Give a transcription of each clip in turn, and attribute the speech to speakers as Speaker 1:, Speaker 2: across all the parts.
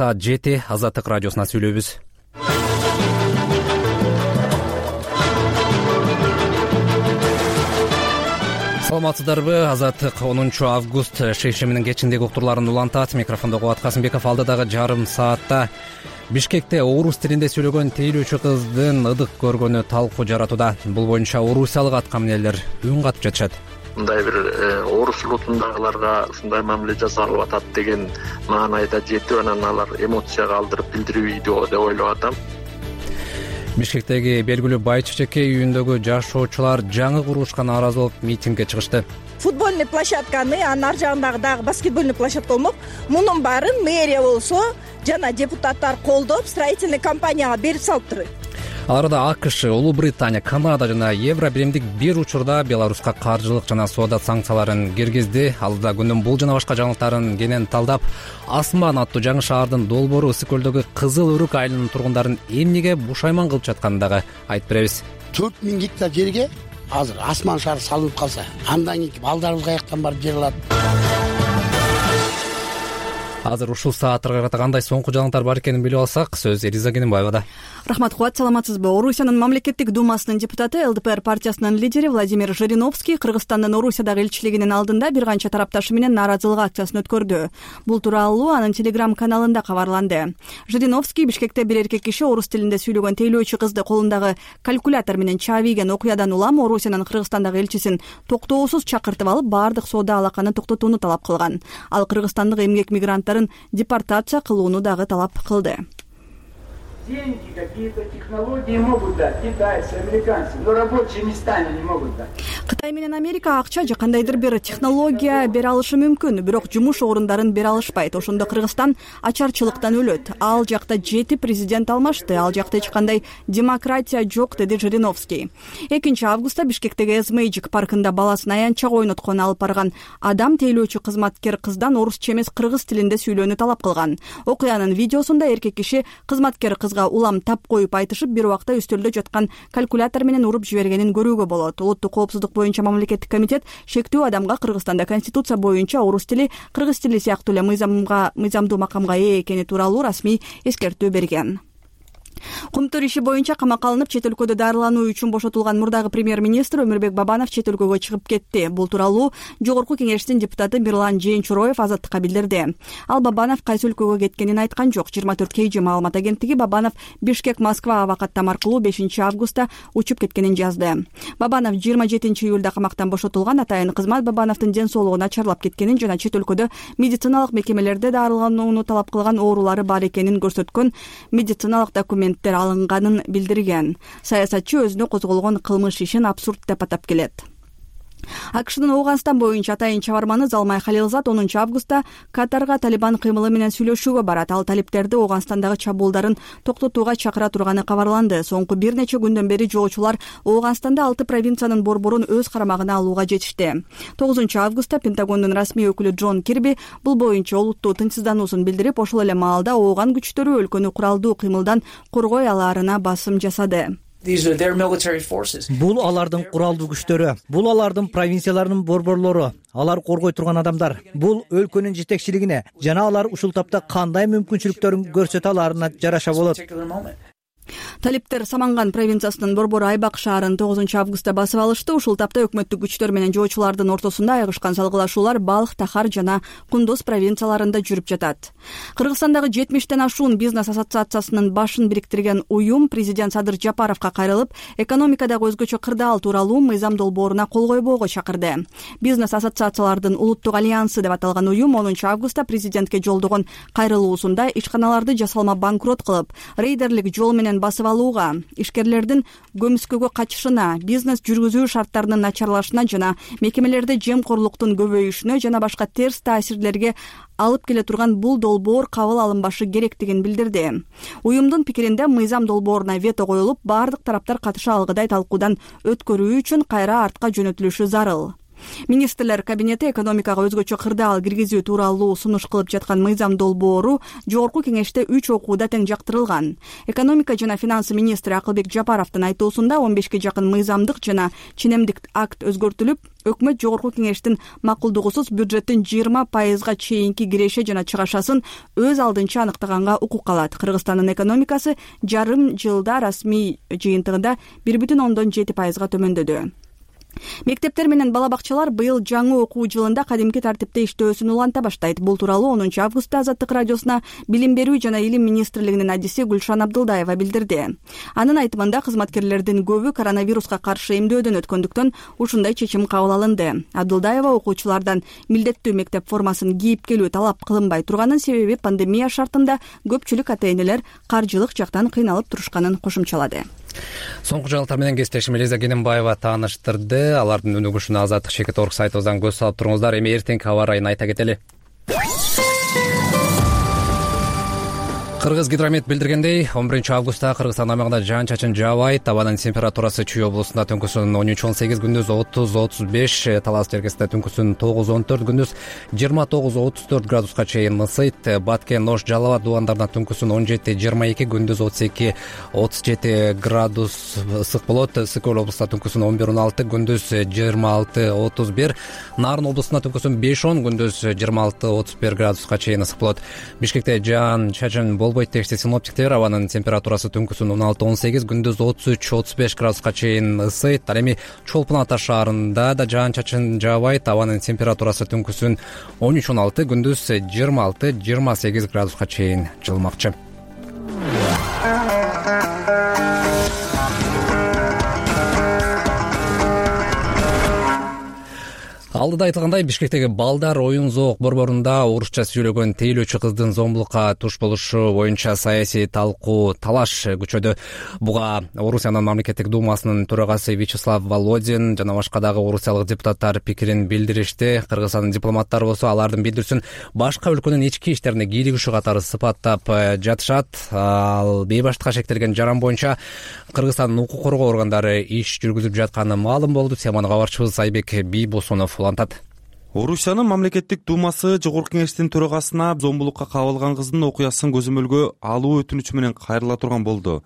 Speaker 1: Саат 7 Азаттык радиосуна сүйлөйбүз. Саламатсыздарбы? Азаттык 10 август шейшеминин кечиндеги уктурларын улантат. Микрофондо Кубат Касымбеков. Алдыдагы жарым саатта Бишкекте орус тилинде сүйлөгөн тейлөөчү кыздын ыдык көргөнү талкуу жаратууда. Бул боюнча орусиялык аткаминерлер үн катып жатышат.
Speaker 2: Мындай бир орус улутундагыларга ушундай мамиле жасалып атат деген маанайда жетип, анан алар эмоцияга алдырып билдирбейди деп ойлоп атам.
Speaker 1: Бишкектеги белгилүү Бай Чечекей үйүндөгү жашоочулар жаңы курулушка нааразы болуп митингге чыгышты.
Speaker 3: Футбольный площадканы, анын ар жагындагы дагы баскетбольный площадка болмок. Мунун баарын мэрия болсо жана депутаттар колдоп, строительный компанияга берип салыптыр.
Speaker 1: Аларда АКШ, Улуу Британия, Канада жана Евро биримдик бир учурда Беларуска каржылык жана соода санкцияларын киргизди. Алдыда күндүн бул жана башка жаңылыктарын кенен талдап, Асман аттуу жаңы шаардын долбоору Ысык көлдөгү Кызыл Өрүк айылынын тургундарын эмнеге бушайман кылып жатканын дагы айтып беребиз.
Speaker 4: 4000 гектар жерге азыр Асман шаары салынып калса, андан кийин балдарыбыз каяктан барып жер алат?
Speaker 1: Азыр ушул сааттарга карата кандай соңку жаңылыктар бар экенин билип алсак, сөз Элиза Кененбаевада.
Speaker 5: Рахмат, Кубат, саламатсызбы? Орусиянын мамлекеттик думасынын депутаты, ЛДПР партиясынын лидери Владимир Жириновский Кыргызстандын Орусиядагы элчилигинин алдында бир канча тарапташы менен нааразылык акциясын өткөрдү. Бул тууралуу анын Telegram каналында кабарланды. Жириновский Бишкекте бир эркек киши орус тилинде сүйлөгөн тейлөөчү кызды колундагы калькулятор менен чаабийген окуядан улам Орусиянын Кыргызстандагы элчисин токтоосуз чакыртып алып, баардык соода алаканы токтотууну талап кылган. Ал кыргызстандык эмгек мигранттарын депортация кылууну дагы талап кылды.
Speaker 6: Деньги, какие-то технологии могут дать китайцы, американцы, но рабочие места они не могут дать.
Speaker 5: Кытай менен Америка акча же кандайдыр бир технология бере алышы мүмкүн, бирок жумуш орундарын бере алышпайт. Ошондо Кыргызстан ачарчылыктан өлөт. Ал жакта 7 президент алмашты, ал жакта эч кандай демократия жок, деди Жириновский. 2 августта Бишкектеги Эзмейджик паркында баласын аянтчага ойноткон алып барган адам тейлөөчү кызматкер кыздан орусча эмес кыргыз тилинде сүйлөөнү талап кылган. Окуянын видеосунда эркек киши кызматкер кызга улам тап коюп айтышып, бир убакта үстөлдө жаткан калькулятор менен уруп жибергенин көрүүгө болот. Улуттук коопсуздук боюнча мамлекеттик комитет шектүү адамга Кыргызстанда конституция боюнча орус тили, кыргыз тили сыяктуу эле мыйзамдуу макамга ээ экени тууралуу расмий эскертүү берген. Кумтур иши боюнча камакка алынып, чет өлкөдө дарылануу үчүн бошотулган мурдагы премьер-министр Өмүрбек Бабанов чет өлкөгө чыгып кетти. Бул тууралуу Жогорку кеңештин депутаты Мирлан Жээнчуроев Азаттыкка билдирди. Ал Бабанов кайсы өлкөгө кеткенин айткан жок. 24 KG маалымат агенттиги Бабанов Бишкек-Москва аба каттам аркылуу 5 августта учуп кеткенин жазды. Бабанов 27 июлда камактан бошотулган. Атайын кызмат Бабановдун ден соолугу начарлап кеткенин жана чет өлкөдө медициналык мекемелерде дарыланууну талап кылган оорулары бар экенин көрсөткөн медициналык документтер алынганын билдирген. Саясатчы өзүнө козголгон кылмыш ишин абсурд деп атап келет. АКШнын Ооганстан боюнча атайын чабарманы Залмай Халилзат 10 августта Катарга Талибан кыймылы менен сүйлөшүүгө барат. Ал талиптерди Ооганстандагы чабуулдарын токтотууга чакыра турганы кабарланды. Соңку бир нече күндөн бери жоочулар Ооганстанда 6 провинциянын борборун өз карамагына алууга жетишти. 9 августта Пентагондун расмий өкүлү Джон Кирби бул боюнча олуттуу тынчсыздануусун билдирип, ошол эле маалда Ооган күчтөрү өлкөнү куралдуу кыймылдан коргой алаарына басым жасады.
Speaker 7: Бул алардын куралдуу күчтөрү, бул алардын провинцияларынын борборлору, алар коргой турган адамдар. Бул өлкөнүн жетекчилигине жана алар ушул тапта кандай мүмкүнчүлүктөрүн көрсөтө аларына жараша болот.
Speaker 5: Талиптер Саманган провинциясынын борбору Айбак шаарын 9 августта басып алышты. Ушул тапта өкмөттүк күчтөр менен жоочулардын ортосунда айгышкан салгылашуулар Балх, Тахар жана Кундуз провинцияларында жүрүп жатат. Кыргызстандагы 70тен ашуун бизнес ассоциациясынын башын бириктирген уюм президент Садыр Жапаровго кайрылып, экономикадагы өзгөчө кырдаал тууралуу мыйзам долбооруна кол койбоого чакырды. Бизнес ассоциациялардын улуттук альянсы деп аталган уюм 10 августта президентке жолдогон кайрылуусунда ишканаларды жасалма банкрот кылып, рейдерлик жол менен басып алууга, ишкерлердин көмүскөгө качышына, бизнес жүргүзүү шарттарынын начарлашына жана мекемелерде жемкорлуктун көбөйүшүнө жана башка терс таасирлерге алып келе турган бул долбоор кабыл алынбашы керектигин билдирди. Уюмдун пикиринде мыйзам долбооруна вето коюлуп, бардык тараптар катыша алгыдай талкуудан өткөрүү үчүн кайра артка жөнөтүлүшү зарыл. Министрлер кабинети экономикага өзгөчө кырдаал киргизүү тууралуу сунуш кылып жаткан мыйзам долбоору жогорку кеңеште 3 окууда тең жактырылган. Экономика жана финансы министри Акылбек Жапаровдун айтуусунда 15ге жакын мыйзамдык жана ченемдик акт өзгөртүлүп, өкмөт жогорку кеңештин макулдугусуз бюджеттин 20% чейинки киреше жана чыгашасын өз алдынча аныктаганга укук алат. Кыргызстандын экономикасы жарым жылда расмий жыйынтыгында 1,7% төмөндөдү. Мектептер менен бала бакчалар быйыл жаңы окуу жылында кадимки тартипте иштөөсүн уланта баштайт. Бул тууралуу 10 августта Азаттык радиосуна Билим берүү жана илим министрлигинин адиси Гүлшан Абдылдаева билдирди. Анын айтымында кызматкерлердин көбү коронавируска каршы эмдөөдөн өткөндүктөн ушундай чечим кабыл алынды. Абдылдаева окуучулардан милдеттүү мектеп формасын кийип келүү талап кылынбай турганын, себеби пандемия шартында көпчүлүк ата-энелер каржылык жактан кыйналып турушканын кошумчалады.
Speaker 1: Соңку жаңылыктар менен кесиптешим Элиза Кененбаева тааныштырды. Алардын өнүгүшүнө Азаттык Шекет.org сайтыбыздан көз салып туруңуздар. Эми эртеңки аба ырайын айта кетели. Кыргызгидромет билдиргендей, 11 августта Кыргызстан аймагында жаан-чачын жаабайт. Абанын температурасы Чүй облусунда түнкүсүн 13-18, күндүз 30-35, Талас жеркесинде түнкүсүн 9-14, күндүз 29-34 градуска чейин ысыйт. Баткен, Ош, Жалал абад дубандарында түнкүсүн 17-22, күндүз 32-37 градус ысык болот. Ысык Көл облусунда түнкүсүн 11-16, күндүз 26-31, Нарын облусунда түнкүсүн 5-10, күндүз 26-31 градуска чейин ысык болот. Бишкекте жаан-чачын болбойт дешти синоптиктер. Абанын температурасы түнкүсүн 16-18, күндүз 33-35 градуска чейин ысыйт. Ал эми Чолпон Ата шаарында да жаан-чачын жаабайт. Абанын температурасы түнкүсүн 13-16, күндүз 26-28 градуска чейин жылмакчы. Алдыда айтылгандай, Бишкектеги Балдар оюн зоок борборунда орусча сүйлөгөн тейлөөчү кыздын зомбулукка туш болушу боюнча саясий талкуу талаш күчөдү. Буга Орусиянын мамлекеттик думасынын төрагасы Вячеслав Володин жана башка дагы орусиялык депутаттар пикирин билдиришти. Кыргызстандын дипломаттары болсо алардын билдирүүсүн башка өлкөнүн ички иштерине кийлигишүү катары сыпаттап жатышат. Ал бейбаштыкка шектелген жаран боюнча Кыргызстандын укук коргоо органдары иш жүргүзүп жатканы маалым болду. Теманы кабарчыбыз Айбек Бийбосунов улантат.
Speaker 8: Орусиянын мамлекеттик думасы жогорку кеңештин төрагасына зомбулукка кабылган кыздын окуясын көзөмөлгө алуу өтүнүчү менен кайрыла турган болду.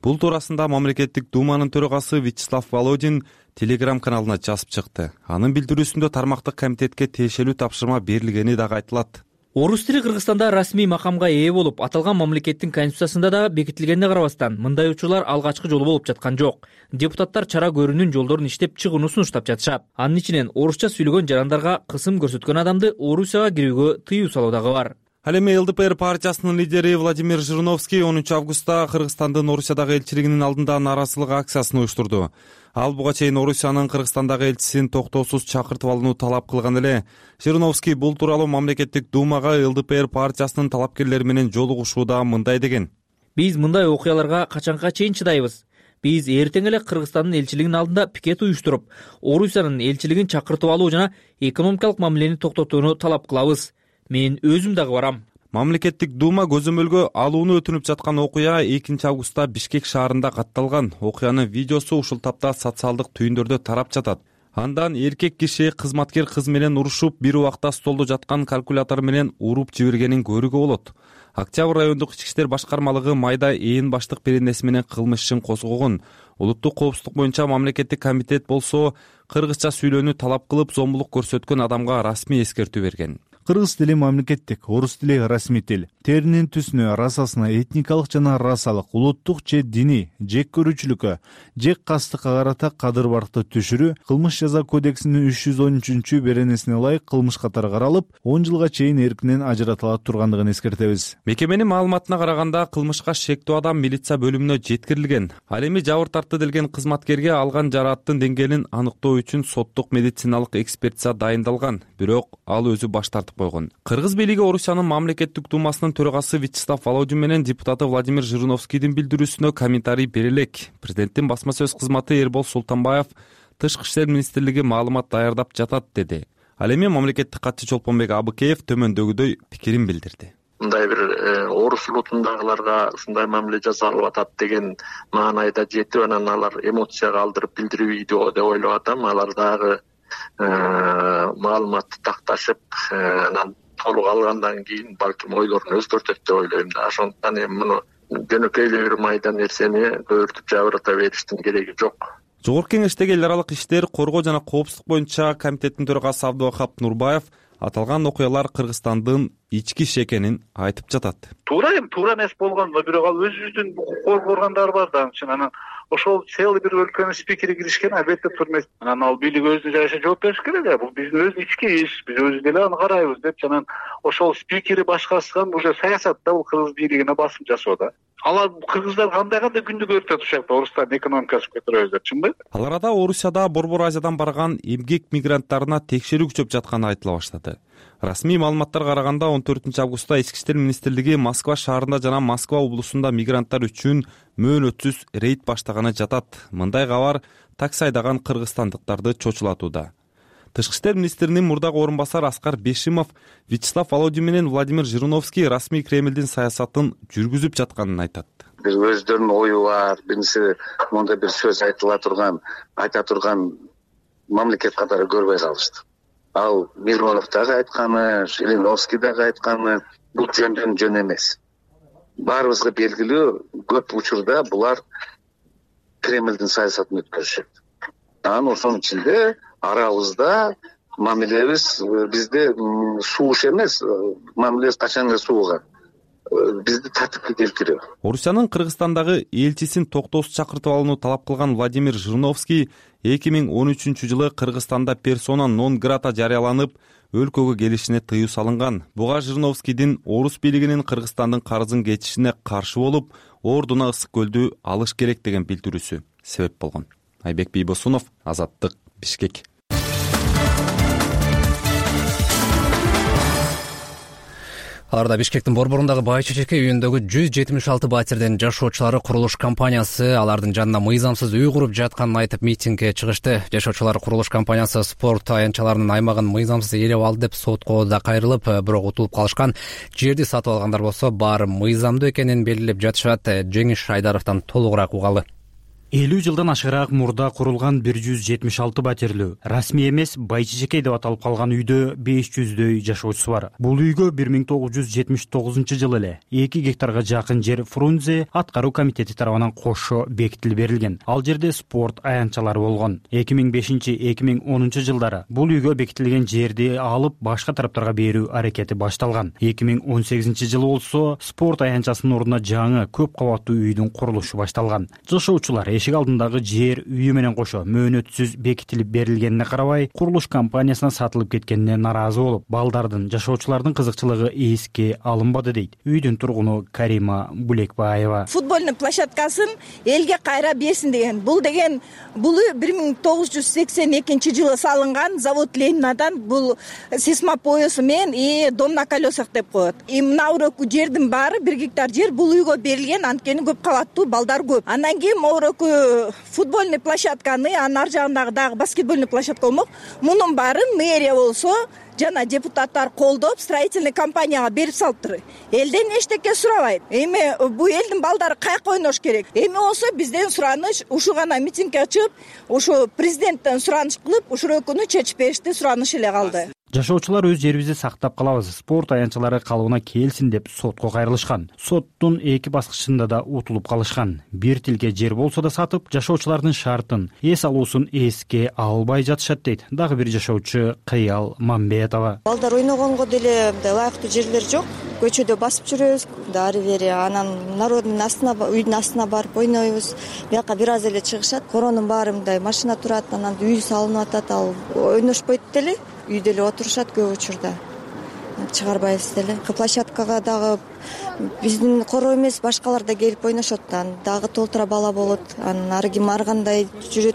Speaker 8: Бул туурасында мамлекеттик думанын төрагасы Вячеслав Володин Telegram каналына жазып чыкты. Анын билдирүүсүндө тармактык комитетке тиешелүү тапшырма берилгени дагы айтылат.
Speaker 9: Орус тили Кыргызстанда расмий макамга ээ болуп, аталган мамлекеттин конституциясында да бекитилгенине карабастан, мындай учурлар алгачкы жолу болуп жаткан жок. Депутаттар чара көрүүнүн жолдорун иштеп чыгууну сунуштап жатышат. Анын ичинен орусча сүйлөгөн жарандарга кысым көрсөткөн адамды Орусияга кирүүгө тыюу салуу дагы бар.
Speaker 8: Ал эми ЛДПР партиясынын лидери Владимир Жириновский 10 августта Кыргызстандын Орусиядагы элчилигинин алдында нааразычылык акциясын уюштурду. Ал буга чейин Орусиянын Кыргызстандагы элчисин токтоосуз чакыртып алууну талап кылган эле. Жириновский бул тууралуу мамлекеттик думага ЛДПР партиясынын талапкерлери менен жолугушууда мындай деген:
Speaker 9: Биз мындай окуяларга качанга чейин чыдайбыз? Биз эртең эле Кыргызстандын элчилигинин алдында пикет уюштуруп, Орусиянын элчилигин чакыртып алуу жана экономикалык мамилени токтотууну талап кылабыз. Мен өзүм дагы барам.
Speaker 8: Мамлекеттик дума көзөмөлгө алууну өтүнүп жаткан окуя 2 августта Бишкек шаарында катталган. Окуянын видеосу ушул тапта социалдык түйүндөрдө тарап жатат. Андан эркек киши кызматкер кыз менен урушуп, бир убакта столдо жаткан калькулятор менен уруп жибергенин көрүүгө болот. Октябрь райондук ички иштер башкармалыгы майда ээн баштык беренеси менен кылмыш ишин козгогон. Улуттук коопсуздук боюнча мамлекеттик комитет болсо кыргызча сүйлөөнү талап кылып, зомбулук көрсөткөн адамга расмий эскертүү берген.
Speaker 10: Кыргыз тили мамлекеттик, орус тили расмий тил. Теринин түсүнө, расасына, этникалык жана расалык, улуттук же диний жек көрүүчүлүккө, жек кастыкка карата кадыр баркты түшүрүү кылмыш жаза кодексинин 313 беренесине ылайык кылмыш катары каралып, 10 жылга чейин эркинен ажыратыла тургандыгын эскертебиз.
Speaker 8: Мекеменин маалыматына караганда, кылмышка шектүү адам милиция бөлүмүнө жеткирилген. Ал эми жабыр тартты делген кызматкерге алган жарааттын деңгээлин аныктоо үчүн соттук медициналык экспертиза дайындалган, бирок ал өзү баш тартып койгон. Кыргыз бийлиги Орусиянын мамлекеттик думасынын төрагасы Вячеслав Володин менен депутаты Владимир Жириновскийдин билдирүүсүнө комментарий бере элек. Президенттин басма сөз кызматы Эрбол Султанбаев Тышкы иштер министрлиги маалымат даярдап жатат деди. Ал эми мамлекеттик катчы Чолпонбек Абыкеев төмөндөгүдөй пикирин билдирди.
Speaker 2: Мындай бир орус улутундагыларга ушундай мамиле жасалып атат деген маанайда жетип, анан алар эмоцияга алдырып билдирүү видео деп ойлоп атам. Алар дагы маалыматты такташып анан толук алгандан кийин балким ойлорун өзгөртөт деп ойлойм да. Ошондуктан эми муну жөнөкөй эле бир майда нерсени өөртүп жабырата бериштин кереги жок.
Speaker 8: Жогорку Кеңештеги эл аралык иштер, коргоо жана коопсуздук боюнча комитеттин төрагасы Абдывахап Нурбаев аталган окуялар Кыргызстандын ички иши экенин айтып жатат.
Speaker 11: Туура эмес болгон, бирок ал өзүбүздүн укук коргондор бар да, анан ошол целый бир өлкөнүн спикери киришкен, албетте турмайт. Анан ал бийлик өзүнүн жайына жооп бериш керек да. Бул биздин өз ички иш, биз өзү деле аны карайбыз деп, анан ошол спикери башкарышкан уже саясатта бул кыргыз бийлигине басым жасоо да. Алар кыргыздар кандай күндү көрүп ушул жакта Орустардын экономикасын көтөрөбүз деп, чынбы?
Speaker 8: Ал арада Орусияда Борбор Азиядан барган эмгек мигранттарына текшерүү күчөп жатканы айтыла баштады. Расмий маалыматтарга караганда 14 августта Ички иштер министрлиги Москва шаарында жана Москва облусунда мигранттар үчүн мөөнөтсүз рейд баштаганы жатат. Мындай кабар такси айдаган кыргызстандыктарды чочулатууда. Тышкы иштер министринин мурдагы орун басары Аскар Бешимов Вячеслав Володин менен Владимир Жириновский расмий Кремлдин саясатын жүргүзүп жатканын айтат.
Speaker 12: Бир өздөрүнүн ою бар, биринчи мондай бир сөз айта турган мамлекет катары көрбөй калышты. Ал Миронов дагы айтканы, Жириновский дагы айтканы бул жөндөн жөн эмес. Баарыбызга белгилүү, көп учурда булар Кремлдин саясатын өткөрүшөт. Анан ошонун ичинде арабызда мамилебиз бизде сууш эмес, мамилебиз качан эле сууган. Бизди тартипке келтирүү.
Speaker 8: Орусиянын Кыргызстандагы элчисин токтоосуз чакыртып алууну талап кылган Владимир Жириновский 2013-жылы Кыргызстанда персона нон грата жарыяланып, өлкөгө келишине тыюу салынган. Буга Жириновскийдин орус бийлигинин Кыргызстандын карызын кечишине каршы болуп, ордуна Ысык көлдү алыш керек деген билдирүүсү себеп болгон. Айбек Бийбосунов, Азаттык, Бишкек.
Speaker 1: Аларда Бишкектин борборундагы Бай Чечеке үйүндөгү 176 батирдин жашоочулары курулуш компаниясы алардын жанына мыйзамсыз үй куруп жатканын айтып митингге чыгышты. Жашоочулар курулуш компаниясы спорт аянтчаларынын аймагын мыйзамсыз ээлеп алды деп сотко да кайрылып, бирок утулуп калышкан. Жерди сатып алгандар болсо баары мыйзамдуу экенин белгилеп жатышат. Жеңиш Шайдаровдон толугураак угалы.
Speaker 13: 50 жылдан ашыгыраак мурда курулган 176 батирлүү расмий эмес Бай Чечеке деп аталып калган үйдө 500дөй жашоочусу бар. Бул үйгө 1979-жылы эле 2 гектарга жакын жер Фрунзе аткаруу комитети тарабынан кошо бекитилип берилген. Ал жерде спорт аянтчалары болгон. 2005-2010 жылдары бул үйгө бекитилген жерди алып башка тараптарга берүү аракети башталган. 2018-жылы болсо спорт аянтчасынын ордуна жаңы көп кабаттуу үйдүн курулушу башталган. Жашоочулар эшик алдындагы жер үйү менен кошо мөөнөтсүз бекитилип берилгенине карабай, курулуш компаниясына сатылып кеткенине наразы болуп, балдардын, жашоочулардын кызыкчылыгы эске алынбады дейт үйдүн тургуну Карима Булекбаева.
Speaker 3: Футбольный площадкасын элге кайра берсин деген. Бул үй 1982-жылы салынган, завод Ленинадан бул сейсмопоясы менен и дом на колесах деп коет. Мына өрөкү жердин баары 1 гектар жер бул үйгө берилген, анткени көп кабаттуу балдар көп. Андан кийин өрөкү футбольный площадканы, анын ар жагындагы дагы баскетбольный площадка болмок. Мунун баарын мэрия болсо жана депутаттар колдоп, строительный компанияга берип салыптыр. Элден эчтеке сурабайт. Эми бул элдин балдары кайка ойнош керек. Эми болсо бизден сураныш, ушу гана митингге чыгып, ушу президенттен сураныш кылып, ушул өкүнү чечип беришти, сураныш эле калды.
Speaker 13: Жашоочулар өз жерибизди сактап калабыз, спорт аянтчалары калыбына келсин деп сотко кайрылышкан. Соттун 2 баскычында да утулуп калышкан. Бир тилке жер болсо да сатып, жашоочулардын шартын, эс алуусун эске албай жатышат дейт дагы бир жашоочу Кыял Мамбетова.
Speaker 14: Балдар ойногонго деле ылайыктуу жерлер жок. Көчөдө басып жүрөбүз, ары бери, анан народдун астына, үйдүн астына барып ойнойбуз. Бияка бир аз эле чыгышат. Коронун баары мындай машина турат, анан үй салынып атат, ал ойношпойт деле. Үйдө эле отурушат көп учурда. Чыгарбайбыз деле. Площадкага дагы биздин короо эмес, башкалар да келип ойношот. Дагы толтура бала болот. Анан ары ким ар кандай жүрөт.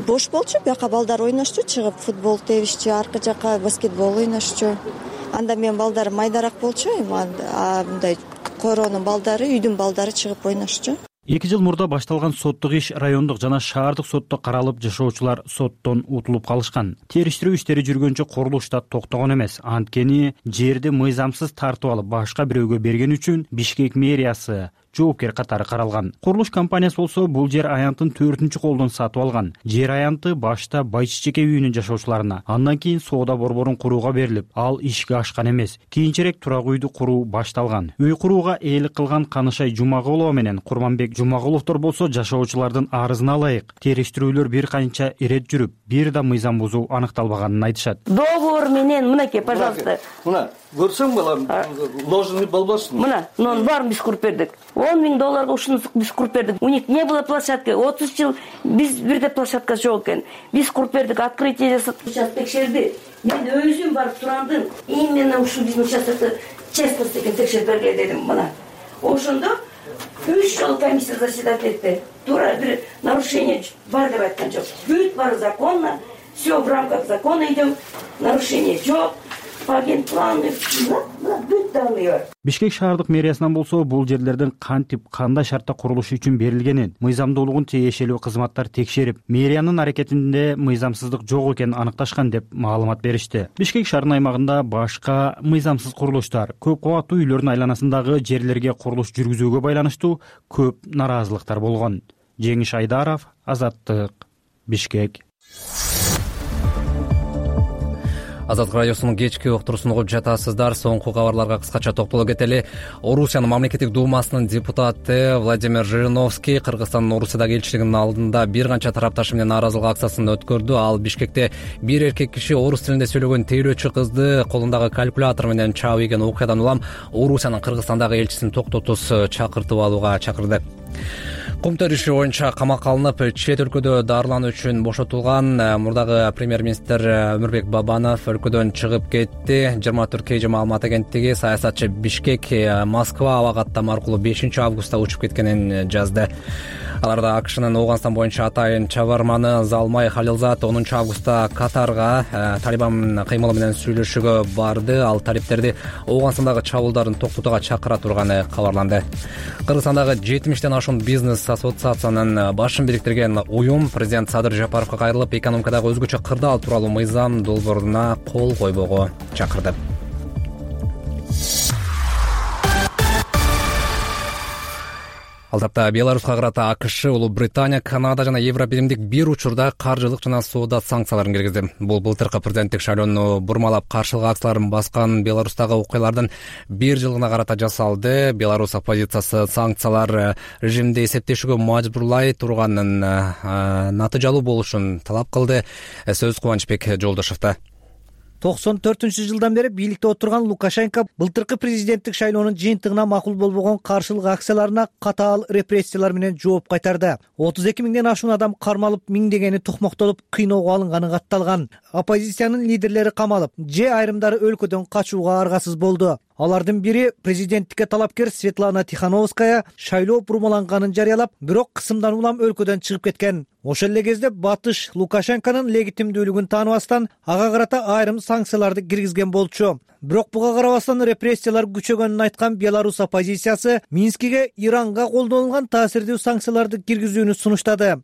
Speaker 14: Бош болчу, бияка балдар ойношчу, чыгып футбол тебишчү, аркы жака баскетбол ойношчу. Анда менин балдарым майдараак болчу, мындай коронун балдары, үйдүн балдары чыгып ойношчу.
Speaker 13: 2 жыл мурда башталган соттук иш райондук жана шаардык сотто каралып, жашоочулар соттон утулуп калышкан. Териштирүү иштери жүргөнчө курулуш да токтогон эмес. Анткени жерди мыйзамсыз тартып алып, башка бирөөгө берген үчүн Бишкек мэриясы жоопкер катары каралган. Курулуш компаниясы болсо бул жер аянтын 4-чү колдон сатып алган. Жер аянты башта Байчичеке үйүнүн жашоочуларына, андан кийин соода борборун курууга берилип, ал ишке ашкан эмес. Кийинчерээк турак үйдү куруу башталган. Үй курууга ээлик кылган Канышай Жумагулова менен Курманбек Жумагуловдор болсо жашоочулардын арызына ылайык териштирүүлөр бир канча ирет жүрүп, бир да мыйзам бузуу аныкталбаганын айтышат.
Speaker 15: Договор менен мынакей, пожалуйста.
Speaker 16: Мына, көрсөң балам, ложный болбосун.
Speaker 15: Мына, нон барын биз куруп бердик. $10,000 ушуну биз куруп бердик. У них не было площадки. 30 жыл биз бирде площадка жок экен. Биз куруп бердик, открытие жасап, сейчас текшерди. Мен өзүм барып турандым. Именно ушу биздин участокто честность экен текшерип бергиле дедим. Мына. Ошондо 3 жолу комиссия заседать этти. Туура бир нарушение бар деп айткан жок. Бүт бары законно, все в рамках закона идем. Нарушение жок. Агентпланы, бүт данные бар.
Speaker 13: Бишкек шаардык мэриясынан болсо бул жерлердин кантип, кандай шартта курулуш үчүн берилгенин, мыйзамдуулугун тиешелүү кызматтар текшерип, мэриянын аракетинде мыйзамсыздык жок экенин аныкташкан деп маалымат беришти. Бишкек шаарынын аймагында башка мыйзамсыз курулуштар, көп кабаттуу үйлөрдүн айланасындагы жерлерге курулуш жүргүзүүгө байланыштуу көп нараазылыктар болгон. Жеңиш Айдаров, Азаттык, Бишкек.
Speaker 1: Азаттык радиосунун кечки уктуруусун угуп жатасыздар. Соңку кабарларга кыскача токтоло кетели. Орусиянын мамлекеттик думасынын депутаты Владимир Жириновский Кыргызстандын Орусиядагы элчилигинин алдында бир канча тарапташы менен нааразылык акциясын өткөрдү. Ал Бишкекте бир эркек киши орус тилинде сөйлөгөн тейлөөчү кызды колундагы калькулятор менен чаап ийген окуядан улам Орусиянын Кыргызстандагы элчисин токтотус чакыртып алууга чакырды. Кумтөр иши боюнча камакка алынып, чет өлкөдө дарылануу үчүн бошотулган мурдагы премьер-министр Өмүрбек Бабанов өлкөдөн чыгып кетти. 24 KG маалымат агенттиги саясатчы Бишкек Москва аба каттам аркылуу 5 августта учуп кеткенин жазды. Аларда АКШнын Ооганстан боюнча атайын чабарманы Залмай Халилзат 10 августта Катарга Талибан кыймылы менен сүйлөшүүгө барды. Ал талиптерди Ооганстандагы чабуулдарын токтотууга чакыра турганы кабарланды. Кыргызстандагы 70ден ашуун бизнес ассоциациянын башын бириктирген уюм президент Садыр Жапаровго кайрылып, экономикадагы өзгөчө кырдаал тууралуу мыйзам долбооруна кол койбоого чакырды. Ал тапта Беларуска карата АКШ, Улуу Британия, Канада жана Евробиримдик бир учурда каржылык жана соода санкцияларын киргизди. Бул былтыркы президенттик шайлоону бурмалап каршылык акцияларын баскан Беларустагы окуялардын бир жылына карата жасалды. Беларусь оппозициясы санкциялар режимди эсептешүүгө мажбурлай турганын натыйжалуу болушун талап кылды. Сөз Кубанычбек Жолдошовдо.
Speaker 7: 94-жылдан бери бийликте отурган Лукашенко былтыркы президенттик шайлоонун жыйынтыгына макул болбогон каршылык акцияларына катаал репрессиялар менен жооп кайтарды. 32 миңден ашуун адам кармалып, миңдегени тукмоктолуп, кыйноого алынганы катталган. Оппозициянын лидерлери камалып, же айрымдары өлкөдөн качууга аргасыз болду. Алардын бири президенттикке талапкер Светлана Тихановская шайлоо бурмаланганын жарыялап, бирок кысымдан улам өлкөдөн чыгып кеткен. Ошол эле кезде батыш Лукашенконун легитимдүүлүгүн тааныбастан ага карата айрым санкцияларды киргизген болчу. Бирок буга карабастан репрессиялар күчөгөнүн айткан Беларусь оппозициясы Минскиге Иранга колдонулган таасирдүү санкцияларды киргизүүнү сунуштады.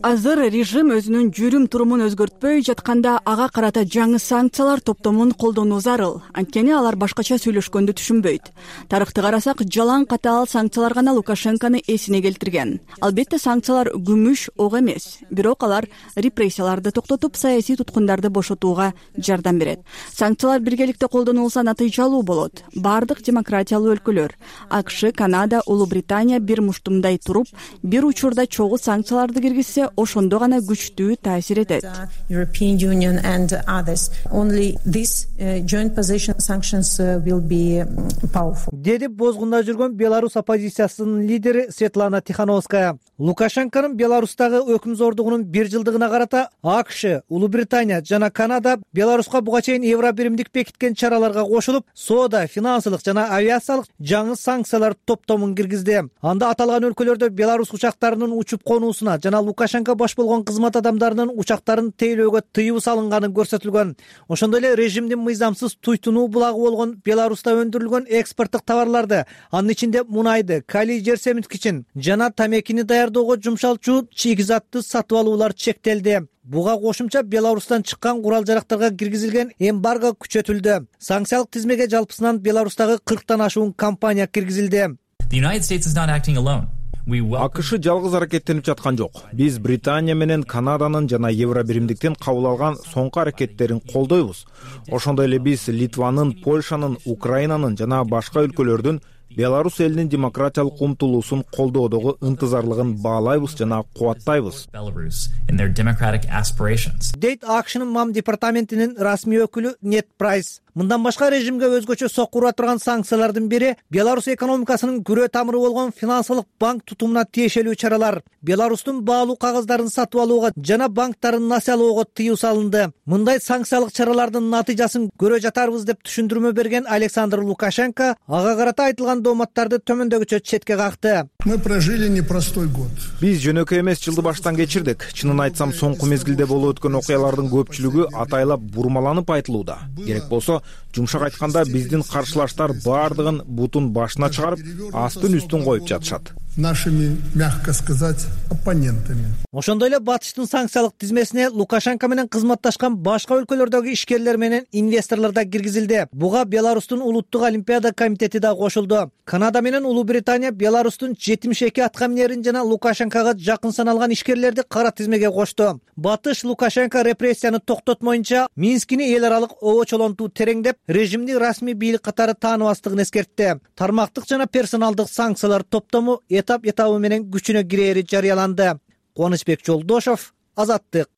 Speaker 7: Азыр режим өзүнүн жүрүм турумун өзгөртпөй жатканда ага карата жаңы санкциялар топтомун колдонуу зарыл. Анткени алар башкача сүйлөшкөндү түшүнбөйт. Тарыхты карасак, жалаң катаал санкциялар гана Лукашенкону эсине келтирген. Албетте санкциялар күмүш ок эмес, бирок алар репрессияларды токтотуп, саясий туткундарды бошотууга жардам берет. Санкциялар биргеликте колдонулса натыйжалуу болот. Бардык демократиялуу өлкөлөр, АКШ, Канада, Улуу Британия бир муштумдай туруп, бир учурда чогуу санкцияларды киргизсе, ошондо гана күчтүү таасир этет. Деди бозгунда жүргөн Беларусь оппозициясынын лидери Светлана Тихановская. Лукашенконун Беларустагы өкмзордугунун бир жылдыгына карата АКШ, Улуу Британия жана Канада Беларуска буга чейин Евробиримдик бекиткен чараларга кошулуп, соода, финансылык жана авиациялык жаңы санкциялар топтомун киргизди. Анда аталган өлкөлөрдө Беларусь учактарынын учуп конуусуна жана Лукашенко баш болгон кызмат адамдарынын учактарын тейлөөгө тыюу салынганы көрсөтүлгөн. Ошондой эле режимдин мыйзамсыз туйтунуу булагы болгон Беларуста өндүрүлгөн экспорттук товарларды, анын ичинде мунайды, калий жер семирткичин жана тамекини даярдоого жумшалчу чийгизатты сатып алуулар чектелди. Буга кошумча Беларустан чыккан курал жарактарга киргизилген эмбарго күчөтүлдү. Санкциялык тизмеге жалпысынан Беларустагы 40тан ашуун компания киргизилди.
Speaker 17: АКШ жалгыз аракеттенип жаткан жок. Биз Британия менен Канаданын жана Евробиримдиктен кабыл алган соңку аракеттерин колдойбуз. Ошондой эле биз Литванын, Польшанын, Украинанын жана башка өлкөлөрдүн Беларусь элинин демократиялык умтулуусун колдоодогу ынтызарлыгын баалайбыз жана кубаттайбыз.
Speaker 7: Дейт АКШнын МАМ департаментинин расмий өкүлү Нет Прайс. Мындан башка режимге өзгөчө сокку ура турган санкциялардын бири Беларусь экономикасынын күрөө тамыры болгон финансылык банк тутумуна тиешелүү чаралар. Беларустун баалуу кагаздарын сатып алууга жана банктарын насыялоого тыюу салынды. Мындай санкциялык чаралардын натыйжасын көрө жатарбыз деп түшүндүрмө берген Александр Лукашенко ага карата айтылган дооматтарды төмөндөгүчө четке какты.
Speaker 18: Мы прожили непростой год.
Speaker 17: Биз жөнөкөй эмес жылды баштан кечирдик. Чынын айтсам, соңку мезгилде болуп өткөн окуялардын көпчүлүгү атайлап бурмаланып айтылууда. Керек болсо, жумшак айтканда биздин каршылаштар баардыгын бутун башына чыгарып, астын үстүн коюп жатышат.
Speaker 18: Нашими, мягко сказать, оппонентами.
Speaker 7: Ошондой эле батыштын санкциялык тизмесине Лукашенко менен кызматташкан башка өлкөлөрдөгү ишкерлер менен инвесторлор да киргизилди. Буга Беларустун улуттук олимпиада комитети да кошулду. Канада менен Улуу Британия Беларустун 72 аткаминерин жана Лукашенкого жакын саналган ишкерлерди кара тизмеге кошту. Батыш Лукашенко репрессияны токтотмоюнча Минскини эл аралык обочолонтуу тереңдеп, режимди расмий бийлик катары тааныбастыгын эскертти. Тармактык жана персоналдык санкциялар топтому этап менен күчүнө кирери жарыяланды. Кубанычбек Жолдошов, Азаттык.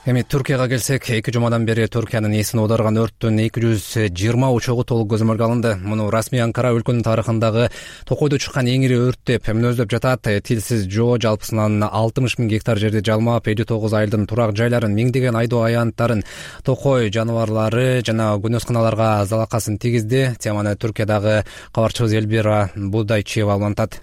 Speaker 1: Эми Түркияга келсек, 2 жумадан бери Түркиянын эсин оодарган өрттүн 220 учогу толук көзөмөлгө алынды. Муну расмий Анкара өлкөнүн тарыхындагы токойдо чыккан эң ири өрт деп мүнөздөп жатат. Тилсиз жоо жалпысынан 60 000 гектар жерди жалмап, 59 айылдын турак жайларын, миңдеген айдоо аянттарын, токой жаныбарлары жана күнөсканаларга залакасын тийгизди. Теманы Түркиядагы кабарчыбыз Элбира Будайчиева улантат.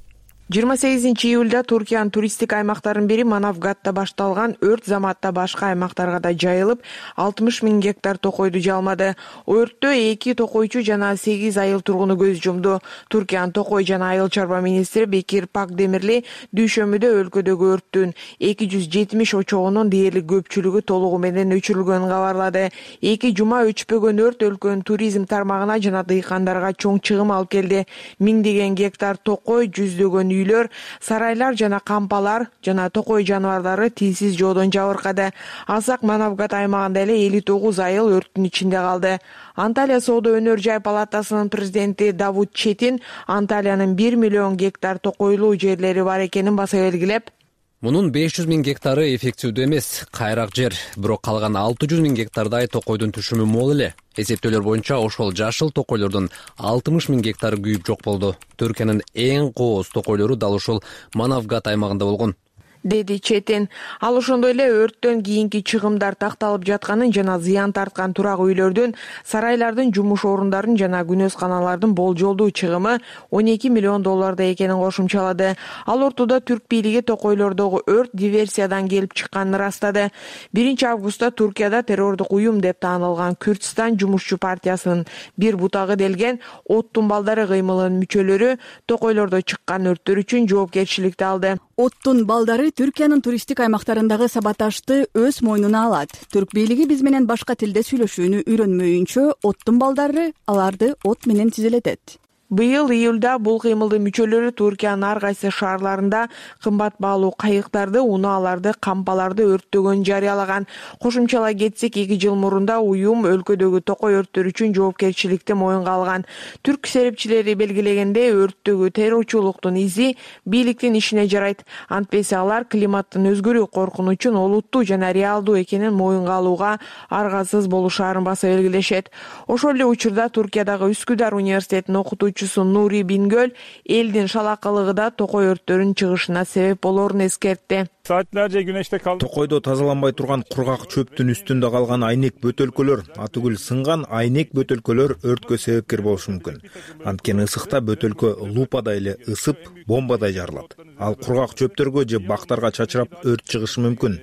Speaker 19: 28 июлда Туркиянын туристтик аймактарынын бири Манавгатта башталган өрт заматта башка аймактарга да жайылып, 60 000 гектар токойду жалмады. Өрттө 2 токойчу жана 8 айыл тургуну көз жумду. Туркиянын токой жана айыл чарба министри Бекир Пакдемирли дүйшөмбүдө өлкөдөгү өрттүн 270 очогунун дээрлик көпчүлүгү толугу менен өчүрүлгөнүн кабарлады. 2 жума өчпөгөн өрт өлкөнүн туризм тармагына жана дыйкандарга чоң чыгым алып келди. Миңдеген гектар токой, жүздөгөн үйлөр, сарайлар жана кампалар жана токой жаныбарлары тилсиз жоодон жабыркады. Алсак Манавгат аймагында эле 59 айыл өрттүн ичинде калды. Анталия соода өнөр жай палатасынын президенти Давуд Четин Анталиянын 1 миллион гектар токойлуу жерлери бар экенин баса белгилеп,
Speaker 1: мунун 500 000 гектары эффективдүү эмес, кайрак жер, бирок калган 600 000 гектардай токойдун түшүмү мол эле. Эсептөөлөр боюнча ошол жашыл токойлордун 60 000 гектары күйүп жок болду. Түркиянын эң кооз токойлору дал ушул Манавгат аймагында болгон,
Speaker 19: деди Четин. Ал ошондой эле өрттөн кийинки чыгымдар такталып жатканын жана зыян тарткан турак үйлөрдүн, сарайлардын, жумуш орундарын жана күнөсканалардын болжолдуу чыгымы $12 миллион экенин кошумчалады. Ал ортодо түрк бийлиги токойлордогу өрт диверсиядан келип чыкканын ырастады. 1 августта Туркияда террордук уюм деп таанылган Күрдстан жумушчу партиясынын бир бутагы делген Оттун балдары кыймылынын мүчөлөрү токойлордо чыккан өрттөр үчүн жоопкерчиликти алды.
Speaker 5: Оттун балдары Түркиянын туристтик аймактарындагы саботажды өз мойнуна алат. Түрк бийлиги биз менен башка тилде сүйлөшүүнү үйрөнмөйүнчө Оттун балдары аларды от менен тизелетет.
Speaker 19: Быйыл июлда бул кыймылдын мүчөлөрү Туркиянын ар кайсы шаарларында кымбат баалуу кайыктарды, унааларды, кампаларды өрттөгөнүн жарыялаган. Кошумчалай кетсек, 2 жыл мурунда уюм өлкөдөгү токой өрттөр үчүн жоопкерчиликти моюнга алган. Түрк серепчилери белгилегендей, өрттөгү террорчулуктун изи бийликтин ишине жарайт. Антпесе алар климаттын өзгөрүү коркунучун олуттуу жана реалдуу экенин моюнга алууга аргасыз болушаарын баса белгилешет. Ошол эле учурда Туркиядагы Үскүдар университетинин окутуучусу Нури Бингөл элдин шалакылыгы да токой өрттөрүнүн чыгышына себеп болоорун эскертти.
Speaker 17: Токойдо тазаланбай турган кургак чөптүн үстүндө калган айнек бөтөлкөлөр, атүгүл сынган айнек бөтөлкөлөр өрткө себепкер болушу мүмкүн. Анткени ысыкта бөтөлкө лупадай эле ысып, бомбадай жарылат. Ал кургак чөптөргө же бактарга чачырап өрт чыгышы мүмкүн.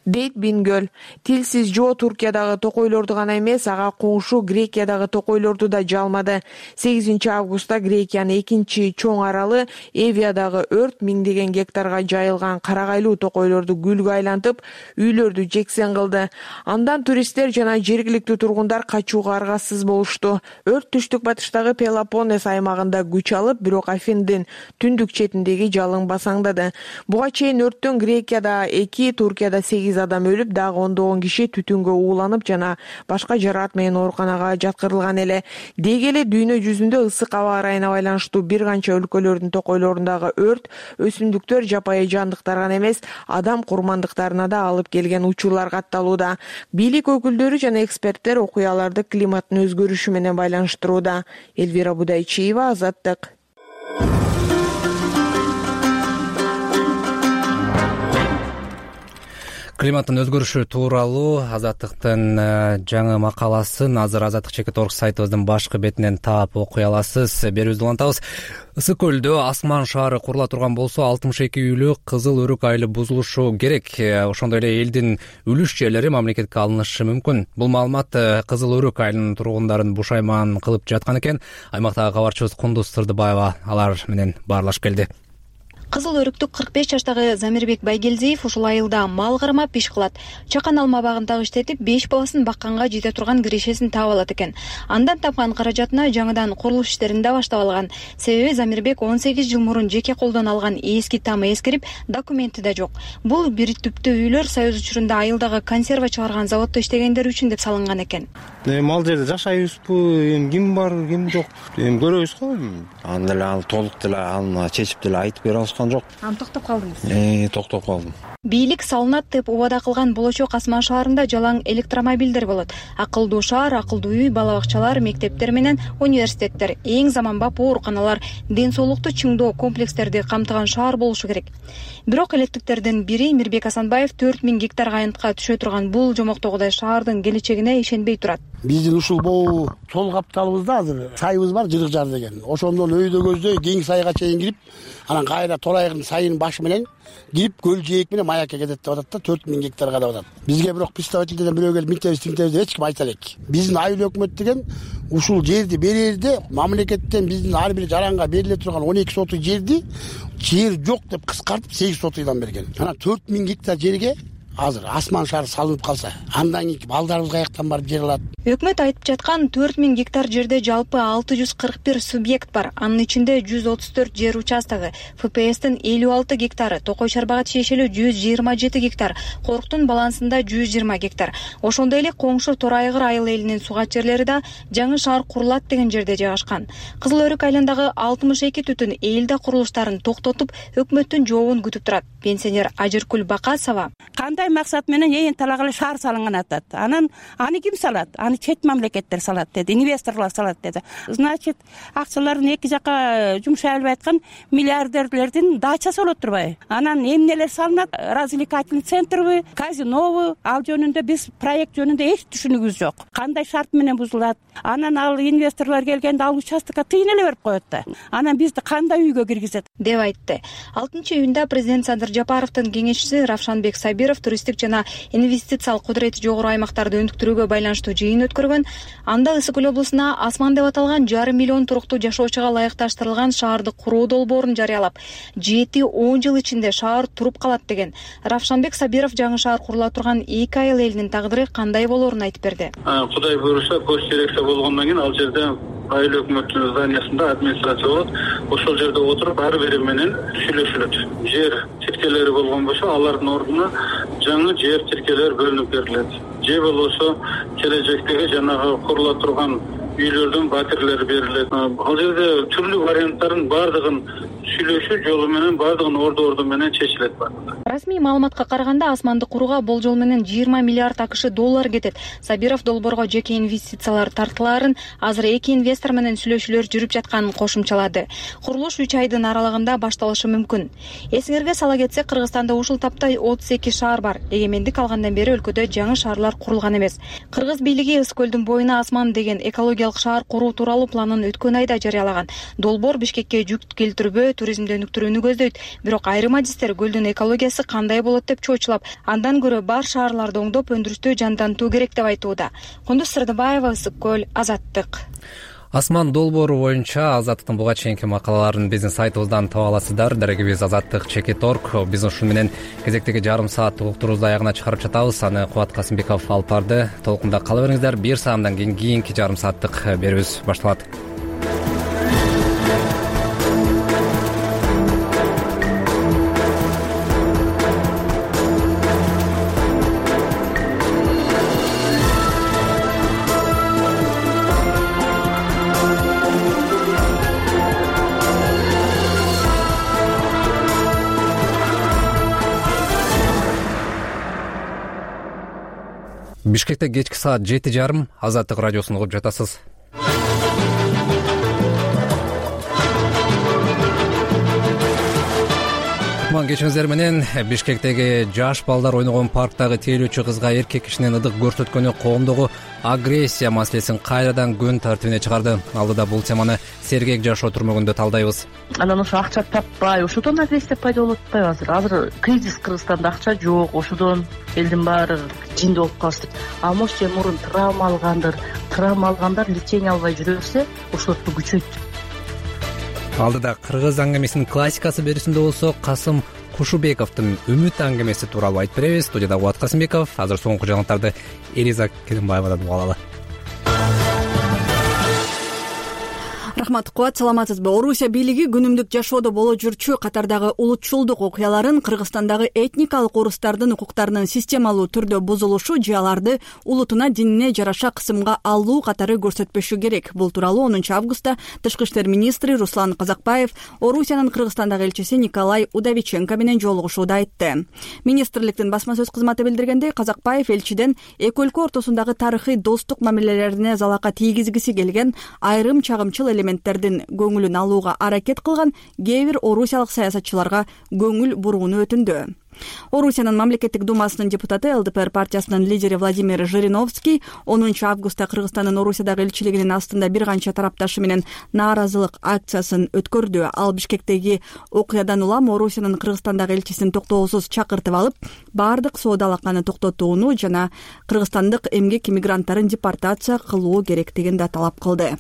Speaker 19: дейт Бингөл. Тилсиз жоо Туркиядагы токойлорду гана эмес, ага коңшу Грекиядагы токойлорду да жалмады. 8 августта Грекиянын экинчи чоң аралы Эвиядагы өрт миңдеген гектарга жайылган карагайлуу токойлорду күлгө айлантып, үйлөрдү жексен кылды. Андан туристтер жана жергиликтүү тургундар качууга аргасыз болушту. Өрт түштүк батыштагы Пелопоннес аймагында күч алып, бирок Афиндин түндүк четиндеги жалын басаңдады. Буга чейин өрттөн Грекияда 2, Туркияда 8 адам өлүп, дагы ондогон киши түтүнгө ууланып жана башка жараат менен ооруканага жаткырылган эле. Деги эле дүйнө жүзүндө ысык аба ырайына байланыштуу бир канча өлкөлөрдүн токойлорундагы өрт өсүмдүктөр, жапайы жандыктар гана эмес, адам курмандыктарына да алып келген учурлар катталууда. Бийлик өкүлдөрү жана эксперттер окуяларды климаттын өзгөрүшү менен байланыштырууда. Элвира Будайчиева, Азаттык.
Speaker 1: Климаттын өзгөрүшү тууралуу Азаттыктын жаңы макаласын азыр Азаттык.org сайтыбыздын башкы бетинен таап окуй аласыз. Берүүбүздү улантабыз. Ысык көлдө Асман шаары курула турган болсо 62 үйлүү кызыл өрүк айылы бузулушу керек. Ошондой эле элдин үлүш жерлери мамлекетке алынышы мүмкүн. Бул маалымат кызыл өрүк айылынын тургундарын бушайман кылып жаткан экен. Аймактагы кабарчыбыз Кундуз Сырдыбаева алар менен баарлашып келди.
Speaker 20: Кызыл өрүктүк 45 жаштагы Замирбек Байгелдиев ушул айылда мал кармап иш кылат. Чакан алма багындагы иштетип 5 баласын бакканга жете турган кирешесин таап алат экен. Андан тапкан каражатына жаңыдан курулуш иштерин да баштап алган. Себеби Замирбек 18 жыл мурун жеке колдон алган эски тамы эскирип, документи да жок. Бул бир түптүү үйлөр Союз учурунда айылдагы консерва чыгарган заводдо иштегендер үчүн деп салынган экен.
Speaker 21: Мал жерде жашайбызбы, ким бар, ким жок, көрөбүз го. Анда эле ал толук деле аны чечип деле айтып бере алышкан жок.
Speaker 20: Токтоп калдыңыз.
Speaker 21: Токтоп калдым.
Speaker 20: Бийлик салынат деп убада кылган болочок Асман шаарында жалаң электромобилдер болот. Акылдуу шаар, акылдуу үй, бала бакчалар, мектептер менен университеттер, эң заманбап ооруканалар, ден соолукту чыңдоо комплекстерди камтыган шаар болушу керек. Бирок электиктердин бири Мирбек Асанбаев 4000 гектар айынтка түшө турган бул жомоктогудай шаардын келечегине ишенбей турат.
Speaker 4: Биздин ушул могу сол капталыбызда азыр сайыбыз бар, Жырык жар деген. Ошондон өйдө көздөй кең сайга чейин кирип, анан кайра Торайгын сайынын башы менен кирип көл жээк менен маякка кетет деп атат да, 4000 гектарга деп атат. Бизге бирок представительдерден бирөө келип миңтебиз тиңтебиз деп эч ким айта элек. Биздин айыл өкмөт деген ушул жерди берерде мамлекеттен биздин ар бир жаранга бериле турган 12 сотый жерди жер жок деп кыскартып 8 сотыйдан берген. Анан 4000 гектар жерге азыр Асман шаары салынып калса, андан кийин балдарыбыз каяктан барып жер алат?
Speaker 20: Өкмөт айтып жаткан 4000 гектар жерде жалпы 641 субъект бар. Анын ичинде 134 жер участогу, ФПСтин 56 гектары, Токой Чарбага тиешелүү 127 гектар, Коруктун балансында 120 гектар. Ошондой эле коңшу Торайгыр айыл элинин сугат жерлери да жаңы шаар курулат деген жерде жайгашкан. Кызыл өрүк айылындагы 62 түтүн элде курулуштарын токтотуп, өкмөттүн жообун күтүп турат. Пенсионер Ажыркүл Бакасова:
Speaker 22: кандай максат менен ээн талагалы шаар салынган атат. Анан аны ким салат? Аны чет мамлекеттер салат деди, инвесторлор салат деди. Значит, акчаларын эки жака жумшай албай аткан миллиардерлердин дачасы болот турбайбы? Анан эмнелер салынат? Развлекательный центрбы, казинобу? Ал жөнүндө биз проект жөнүндө эч түшүнүгүбүз жок. Кандай шарт менен бузулат? Анан ал инвесторлор келгенде ал участокко тыйын эле берип коет да. Анан бизди кандай үйгө киргизет?
Speaker 20: Деп айтты. 6-июнда президент Садыр Жапаровдун кеңешчиси Равшанбек Сабиров туристтик жана инвестициялык кудурети жогору аймактарды өнүктүрүүгө байланыштуу жыйын өткөргөн. Анда Ысык көл облусуна Асман деп аталган 5,5 миллион туруктуу жашоочуга ылайыкташтырылган шаарды куруу долбоорун жарыялап, 7-10 жыл ичинде шаар туруп калат деген. Равшанбек Сабиров жаңы шаар курула турган 2 айыл элинин тагдыры кандай болоорун айтып берди.
Speaker 11: Кудай буйруса, көз терексе болгондон кийин ал жерде айыл өкмөтүнүн зданиясында администрация болот. Ошол жерде отуруп ар бири менен сүйлөшүлөт. Жер тиркелери болгон болсо, алардын ордуна жаңы жер тиркелер бөлүнүп берилет. Же болбосо келечектеги жанагы курула турган үйлөрдүн батирлери берилет. Ал жерде түрлүү варианттардын баардыгын сүйлөшүү жолу менен, баардыгын орду менен чечилет.
Speaker 20: Расмий маалыматка караганда Асманды курууга болжол менен 20 миллиард АКШ доллар кетет. Сабиров долбоорго жеке инвестициялар тартылаарын, азыр эки инвестор менен сүйлөшүүлөр жүрүп жатканын кошумчалады. Курулуш 3 айдын аралыгында башталышы мүмкүн. Эсиңерге сала кетсек, Кыргызстанда ушул тапта 32 шаар бар. Эгемендик алгандан бери өлкөдө жаңы шаарлар курулган эмес. Кыргыз бийлиги Ысык көлдүн боюна Асман деген экологиялык шаар куруу тууралуу планын өткөн айда жарыялаган. Долбоор Бишкекке жүк келтирбөө, туризмди өнүктүрүүнү көздөйт. Бирок айрым адистер көлдүн экологиясы сапасы кандай болот деп чоочулап, андан көрө бар шаарларды оңдоп өндүрүштү жандантуу керек деп айтууда. Кундуз Сырдыбаева, Ысык көл, Азаттык.
Speaker 1: Асман долбоору буюнча Азаттыктын буга чейинки макалаларын биздин сайтыбыздан таба аласыздар. Дарегибиз azаттык.org. Биз ушуну менен кезектеги жарым сааттык уктуруубузду аягына чыгарып жатабыз. Аны Кубат Касымбеков алып барды. Толкунда кала бериңиздер. 1 саатдан кийинки жарым сааттык берүүбүз башталат. Бишкекте кечки саат 7:30 Азаттык радиосун угуп жатасыз. Кечиңиздер менен Бишкектеги жаш балдар ойногон парктагы тейлөөчү кызга эркек кишинин ыдык көрсөткөнү коомдогу агрессия маселесин кайрадан күн тартибине чыгарды. Алдыда бул теманы сергек жашоо түрмөгүндө талдайбыз.
Speaker 6: Анан ошо акча таппай, ошодон агрессия пайда болуп атпайбы? Азыр кризис, Кыргызстанда акча жок, ошодон элдин баары жинди болуп калышты. А может, мурун травма алгандар лечение албай жүрө берсе, ошолорду күчөйт.
Speaker 1: Алдыда кыргыз аңгемесинин классикасы берүүсүндө болсо Касым Кушубековдун Үмүт аңгемеси тууралуу айтып беребиз. Студияда Кубат Касымбеков. Азыр соңку жаңылыктарды Элиза Керимбаевадан угуп алалы.
Speaker 5: Рахмат, Кубат, саламатсызбы? Орусия бийлиги күнүмдүк жашоодо боло жүрчү катардагы улутчулдук окуяларын Кыргызстандагы этникалык орустардын укуктарынын системалуу түрдө бузулушу же аларды улутуна, динине жараша кысымга алуу катары көрсөтпөшү керек. Бул тууралуу 10 августта Тышкы иштер министри Руслан Казакбаев Орусиянын Кыргызстандагы элчиси Николай Удовиченко менен жолугушууда айтты. Министрликтин басма сөз кызматы билдиргендей, Казакбаев элчиден эки өлкө ортосундагы тарыхый достук мамилелерине залака тийгизгиси келген айрым чагымчыл элементтердин көңүлүн алууга аракет кылган кээ бир орусиялык саясатчыларга көңүл бурууну өтүндү. Орусиянын мамлекеттик думасынын депутаты ЛДПР партиясынын лидери Владимир Жириновский 10 августта Кыргызстандын Орусиядагы элчилигинин астында бир канча тарапташы менен нааразылык акциясын өткөрдү. Ал Бишкектеги окуядан улам Орусиянын Кыргызстандагы элчисин токтоосуз чакыртып алып, баардык соода алаканы токтотууну жана кыргызстандык эмгек иммигранттарын депортация кылуу керектигин да талап кылды.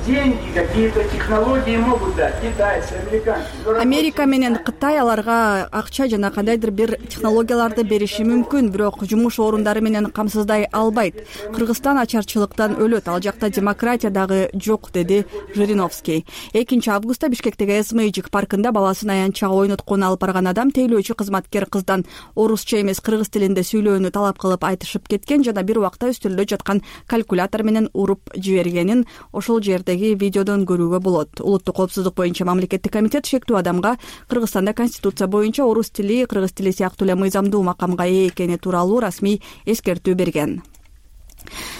Speaker 9: Деньги, какие-то технологии могут дать китайцы, американцы.
Speaker 5: Америка менен Кытай аларга акча жана кандайдыр бир технологияларды бериши мүмкүн, бирок жумуш орундары менен камсыздай албайт. Кыргызстан ачарчылыктан өлөт, ал жакта демократия дагы жок, деди Жириновский. 2 августта Бишкектеги Эсмейджик паркында баласын аянтчага ойноткону алып барган адам тейлөөчү кызматкер кыздан орусча эмес кыргыз тилинде сүйлөөнү талап кылып айтышып кеткен жана бир убакта үстөлдө жаткан калькулятор менен уруп жибергенин ошол жердеги видеодон көрүүгө болот. Улуттук коопсуздук боюнча мамлекеттик комитет шектүү адамга Кыргызстанда конституция боюнча орус тили, кыргыз тили сыяктуу эле мыйзамдуу макамга ээ экени тууралуу расмий эскертүү берген.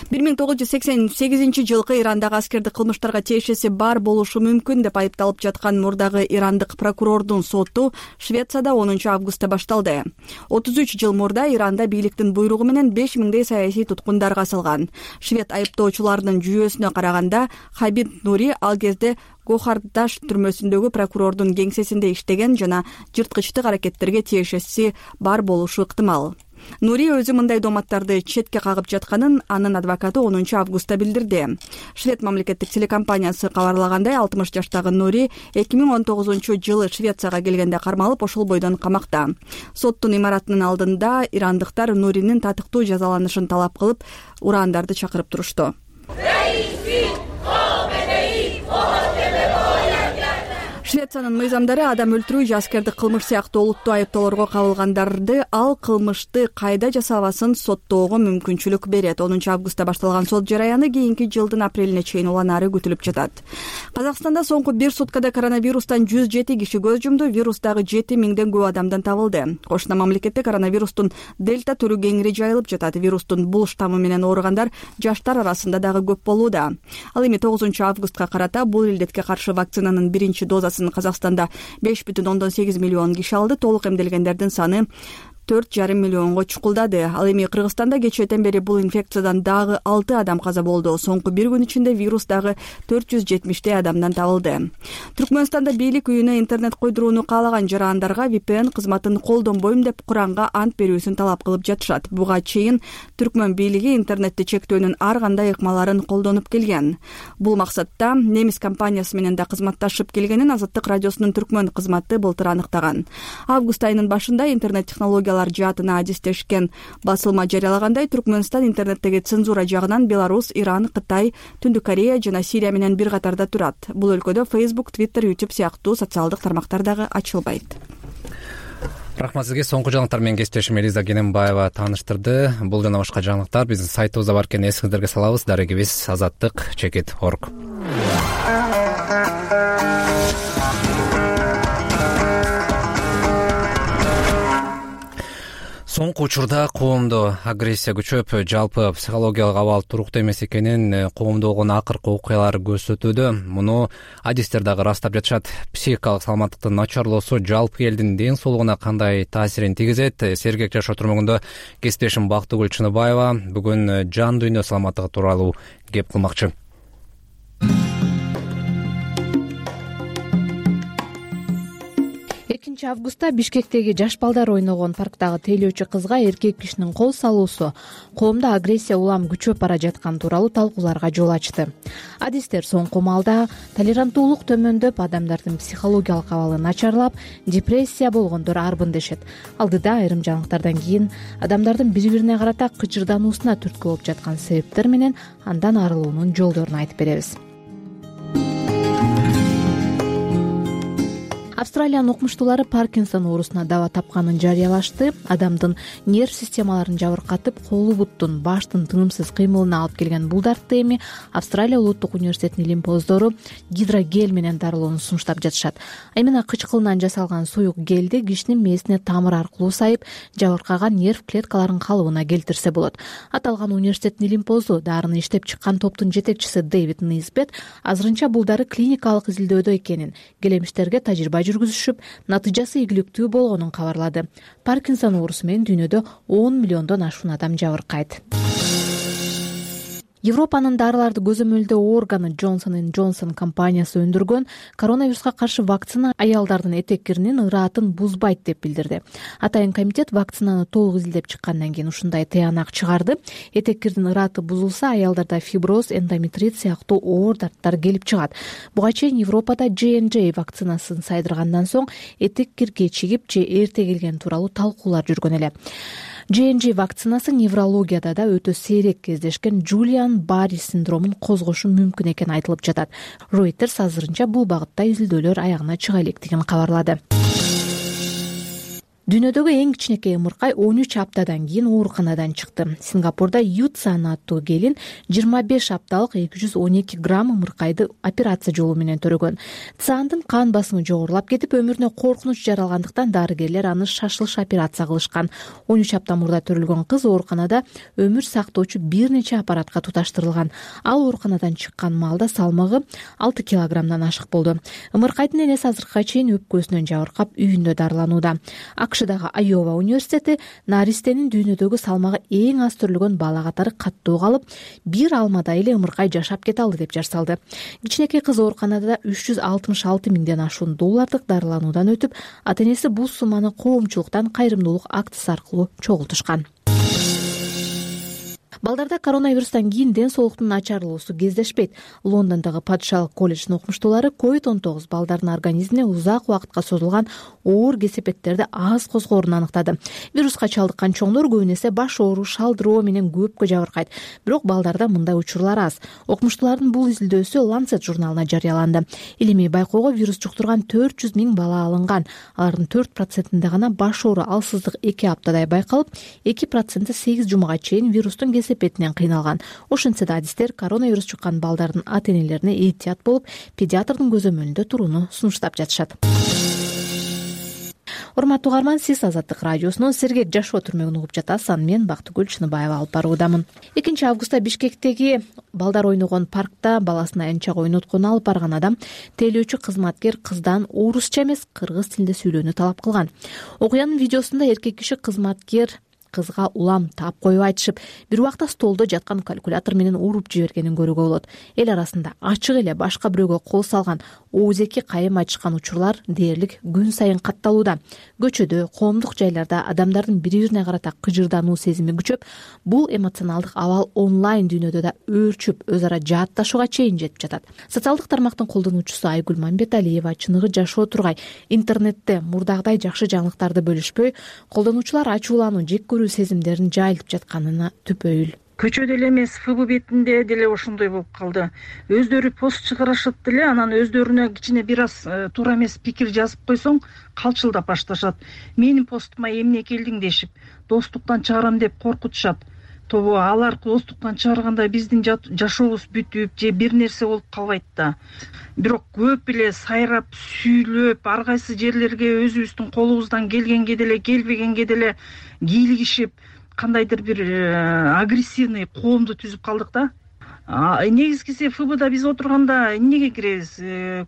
Speaker 5: 1988 жылкы Ирандагы аскердик кылмыштарга тиешеси бар болушу мүмкүн деп айыпталып жаткан мурдагы ирандык прокурордун соту Швецияда 10 августта башталды. 33 жыл мурда Иранда бийликтин буйругу менен 5000 саясий туткундар касылган. Швед айыптоочулардын жүйөсүнө караганда Хабиб Нури ал кезде Гохардаш түрмөсүндөгү прокурордун кеңсесинде иштеген жана жырткычтык аракеттерге тиешеси бар болушу ыктымал. Нури өзү мындай доматтарды четке кагып жатканын анын адвокаты 10 августта билдирди. Швед мамлекеттик телекомпаниясы кабарлагандай, 60 жаштагы Нури 2019 жылы Швецияга келгенде кармалып, ошол бойдон камакта. Соттун имаратынын алдында ирандыктар Нуринин татыктуу жазаланышын талап кылып, урандарды чакырып турушту. Швециянын мыйзамдары адам өлтүрүү же аскердик кылмыш сыяктуу олуттуу айыптоолорго кабылгандарды ал кылмышты кайда жасабасын соттоого мүмкүнчүлүк берет. 10 августта башталган сот жараяны кийинки жылдын апрелине чейин уланары күтүлүп жатат. Казакстанда соңку 1 суткада коронавирустан 107 киши көз жумду, вирус дагы 7000ден көп адамдан табылды. Кошуна мамлекетте коронавирустун дельта түрү кеңири жайылып жатат. Вирустун бул штаммы менен ооругандар жаштар арасында дагы көп болууда. Ал эми 9 августка карата бул илдетке каршы вакцинанын биринчи дозасын Казакстанда 5,8 миллион киши алды. Толук эмделгендердин саны 4,5 миллионго чукулдады. Ал эми Кыргызстанда кечээден бери бул инфекциядан дагы 6 адам каза болду. Соңку бир күн ичинде вирус дагы 470 адамдан табылды. Түркмөнстанда бийлик үйүнө интернет койдурууну каалаган жарандарга VPN кызматын колдонбойм деп Куранга ант берүүсүн талап кылып жатышат. Буга чейин Түркмөн бийлиги интернетти чектөөнүн ар кандай ыкмаларын колдонуп келген. Бул максатта немис компаниясы менен да кызматташып келгенин Азаттык радиосунун Түркмөн кызматы былтыр аныктаган. Август айынын башында интернет технологиялар жаатына адистешкен басылма жарыялагандай, Түркмөнстан интернеттеги цензура жагынан Беларусь, Иран, Кытай, Түндүк Корея жана Сирия менен бир катарда турат. Бул өлкөдө Facebook, Twitter, YouTube сыяктуу социалдык тармактар дагы ачылбайт.
Speaker 1: Рахмат сизге. Соңку жаңылыктар менен кесиптешим Элиза Кененбаева тааныштырды. Бул жана башка жаңылыктар биздин сайтыбызда бар экенин эсиңиздерге салабыз. Дарегибиз azаттык.org. Соңку учурда коомдо агрессия күчөп, жалпы психологиялык абал туруктуу эмес экенин коомдо болгон акыркы окуялар көрсөтүүдө. Муну адистер дагы ырастап жатышат. Психикалык саламаттыктын начарлоосу жалпы элдин ден соолугуна кандай таасирин тийгизет? Сергек жашоо турмугунда кесиптешим Бактыгүл Чыныбаева бүгүн жан дүйнө саламаттыгы тууралуу кеп кылмакчы.
Speaker 2: 2 августта Бишкектеги жаш балдар ойногон парктагы тейлөөчү кызга эркек кишинин кол салуусу коомдо агрессия улам күчөп бара жатканы тууралуу талкууларга жол ачты. Адистер соңку маалда толеранттуулук төмөндөп, адамдардын психологиялык абалы начарлап, депрессия болгондор арбын дешет. Алдыда айрым жаңылыктардан кийин адамдардын бири-бирине карата кычырдануусуна түрткү болуп жаткан себептер менен андан арылуунун жолдорун айтып беребиз. Австралиянын окумуштуулары Паркинсон оорусуна даба тапканын жарыялашты. Адамдын нерв системаларын жабыркатып, колу буттун, баштын тынымсыз кыймылына алып келген бул дартты эми Австралия улуттук университетинин илим-поздору гидрогел менен дарылоону сунуштап жатышат. Эмне кычкылынан жасалган суюк гелди кишинин мээсине тамыр аркылуу сайып, жабыркаган нерв клеткаларын калыбына келтирсе болот. Аталган университеттин илим-позу дарыны иштеп чыккан топтун жетекчиси Дэвид Низбет азырынча бул дары клиникалык изилдөөдө экенин, келемиштерге тажрыйба жүргүзүшүп, натыйжасы ийгиликтүү болгонун кабарлады. Паркинсон оорусу менен дүйнөдө 10 миллиондон ашуун адам жабыркайт. Европанын дарыларды көзөмөлдөө органы Johnson & Johnson компаниясы өндүргөн коронавируска каршы вакцина аялдардын этек-киринин ыраатын бузбайт деп билдирди. Атайын комитет вакцинаны толук изилдеп чыккандан кийин ушундай тыянак чыгарды. Этек-кирдин ырааты бузулса, аялдарда фиброз, эндометрит сыяктуу оор дарттар келип чыгат. Буга чейин Европада J&J вакцинасын сайдыргандан соң этек-кир кечигип же эрте келгени тууралуу талкуулар жүргөн эле. J&J вакцинасы неврологияда да өтө сейрек кездешкен Жулиан-Барри синдромун козгошу мүмкүн экени айтылып жатат. Reuters азырынча бул багытта изилдөөлөр аягына чыга электигин кабарлады. Дүйнөдөгү эң кичинекей ымыркай 13 аптадан кийин ооруканадан чыкты. Сингапурда Ютсан аттуу келин 25 апталык 212 грамм ымыркайды операция жолу менен төрөгөн. Цандын кан басымы жогорулап кетип, өмүрүнө коркунуч жаралгандыктан дарыгерлер аны шашылыш операция кылышкан. 13 апта мурда төрөлгөн кыз ооруканада өмүр сактоочу бир нече аппаратка туташтырылган. Ал ооруканадан чыккан маалда салмагы 6 килограммдан ашык болду. Ымыркайдын энеси азыркыга чейин өпкөсүнөн жабыркап үйүндө дарыланууда. Акшдагы Айова университети наристенин дүйнөдөгү салмагы эң аз төрөлгөн бала катары каттуу калып, бир алмада эле ымыркай жашап кете алды деп жарсалды. Кичинекей кыз ооруканада 366 миңден ашуун доллардык дарылануудан өтүп, ата-энеси бул сумманы коомчулуктан кайрымдуулук акциясы аркылуу чогултушкан. Балдарда коронавирустан кийин ден соолуктун начарлоосу кездешпейт. Лондондогу Падышалык колледждин окумуштуулары COVID-19 балдардын организмине узак убакытка созулган оор кесепеттерди аз козгоорун аныктады. Вируска чалдыккан чоңдор көбүн эсе баш ооруу, шалдыроо менен көпкө жабыркайт. Бирок балдарда мындай учурлар аз. Окумуштуулардын бул изилдөөсү Lancet журналына жарыяланды. Илимий байкоого вирус жуктурган 400 миң бала алынган. Алардын 4%-inde гана баш оору, алсыздык 2 аптадай байкалып, 2% 8 жумага чейин вирустун кесепетинен кыйналган. Ошентсе да адистер коронавирус чуккан балдардын ата-энелерине этият болуп, педиатрдын көзөмөлүндө турууну сунуштап жатышат. урматтуу угарман, сиз Азаттык радиосунун сергек жашоо түрмөгүн угуп жатасыз. Аны мен Бактыгүл Чыныбаева алып баруудамын. 2-августта Бишкектеги балдар ойногон паркта баласына энчак ойноткон алып барган адам тейлөөчү кызматкер кыздан орусча эмес кыргыз тилинде сүйлөөнү талап кылган. Окуянын видеосунда эркек киши кызматкер кызга улам таап коюп айтышып, бир убакта столдо жаткан калькулятор менен уруп жибергенин көрүүгө болот. Эл арасында ачык эле башка бирөөгө кол салган, оозеки кайым айтышкан учурлар дээрлик күн сайын катталууда. Көчөдө, коомдук жайларда адамдардын бири-бирине карата кыжырдануу сезими күчөп, бул эмоционалдык абал онлайн дүйнөдө да өөрчүп, өз ара жаатташууга чейин жетип жатат. Социалдык тармактын колдонуучусу Айгүл Мамбеталиева чыныгы жашоо тургай интернетте мурдагыдай жакшы жаңылыктарды бөлүшпөй, колдонуучулар ачуулануу, жек көрүү сезимдерин жайылтып жатканына түпөйүл.
Speaker 10: Көчөдө эле эмес, ФБ бетинде деле ошондой болуп калды. Өздөрү пост чыгарышат деле, анан өздөрүнө кичине бир аз туура эмес пикир жазып койсоң, калчылдап башташат. Менин постума эмне келдиң дешип, достуктан чыгарам деп коркутушат. Тобо алар достуктан чыгарганда биздин жашообуз бүтүп же бир нерсе болуп калбайт да. Бирок көп эле сайрап, сүйлөп, ар кайсы жерлерге өзүбүздүн колубуздан келгенге деле, келбегенге деле кийлигишип, кандайдыр бир агрессивный коомду түзүп калдык да. Негизгиси ФБда биз отурганда эмнеге киребиз?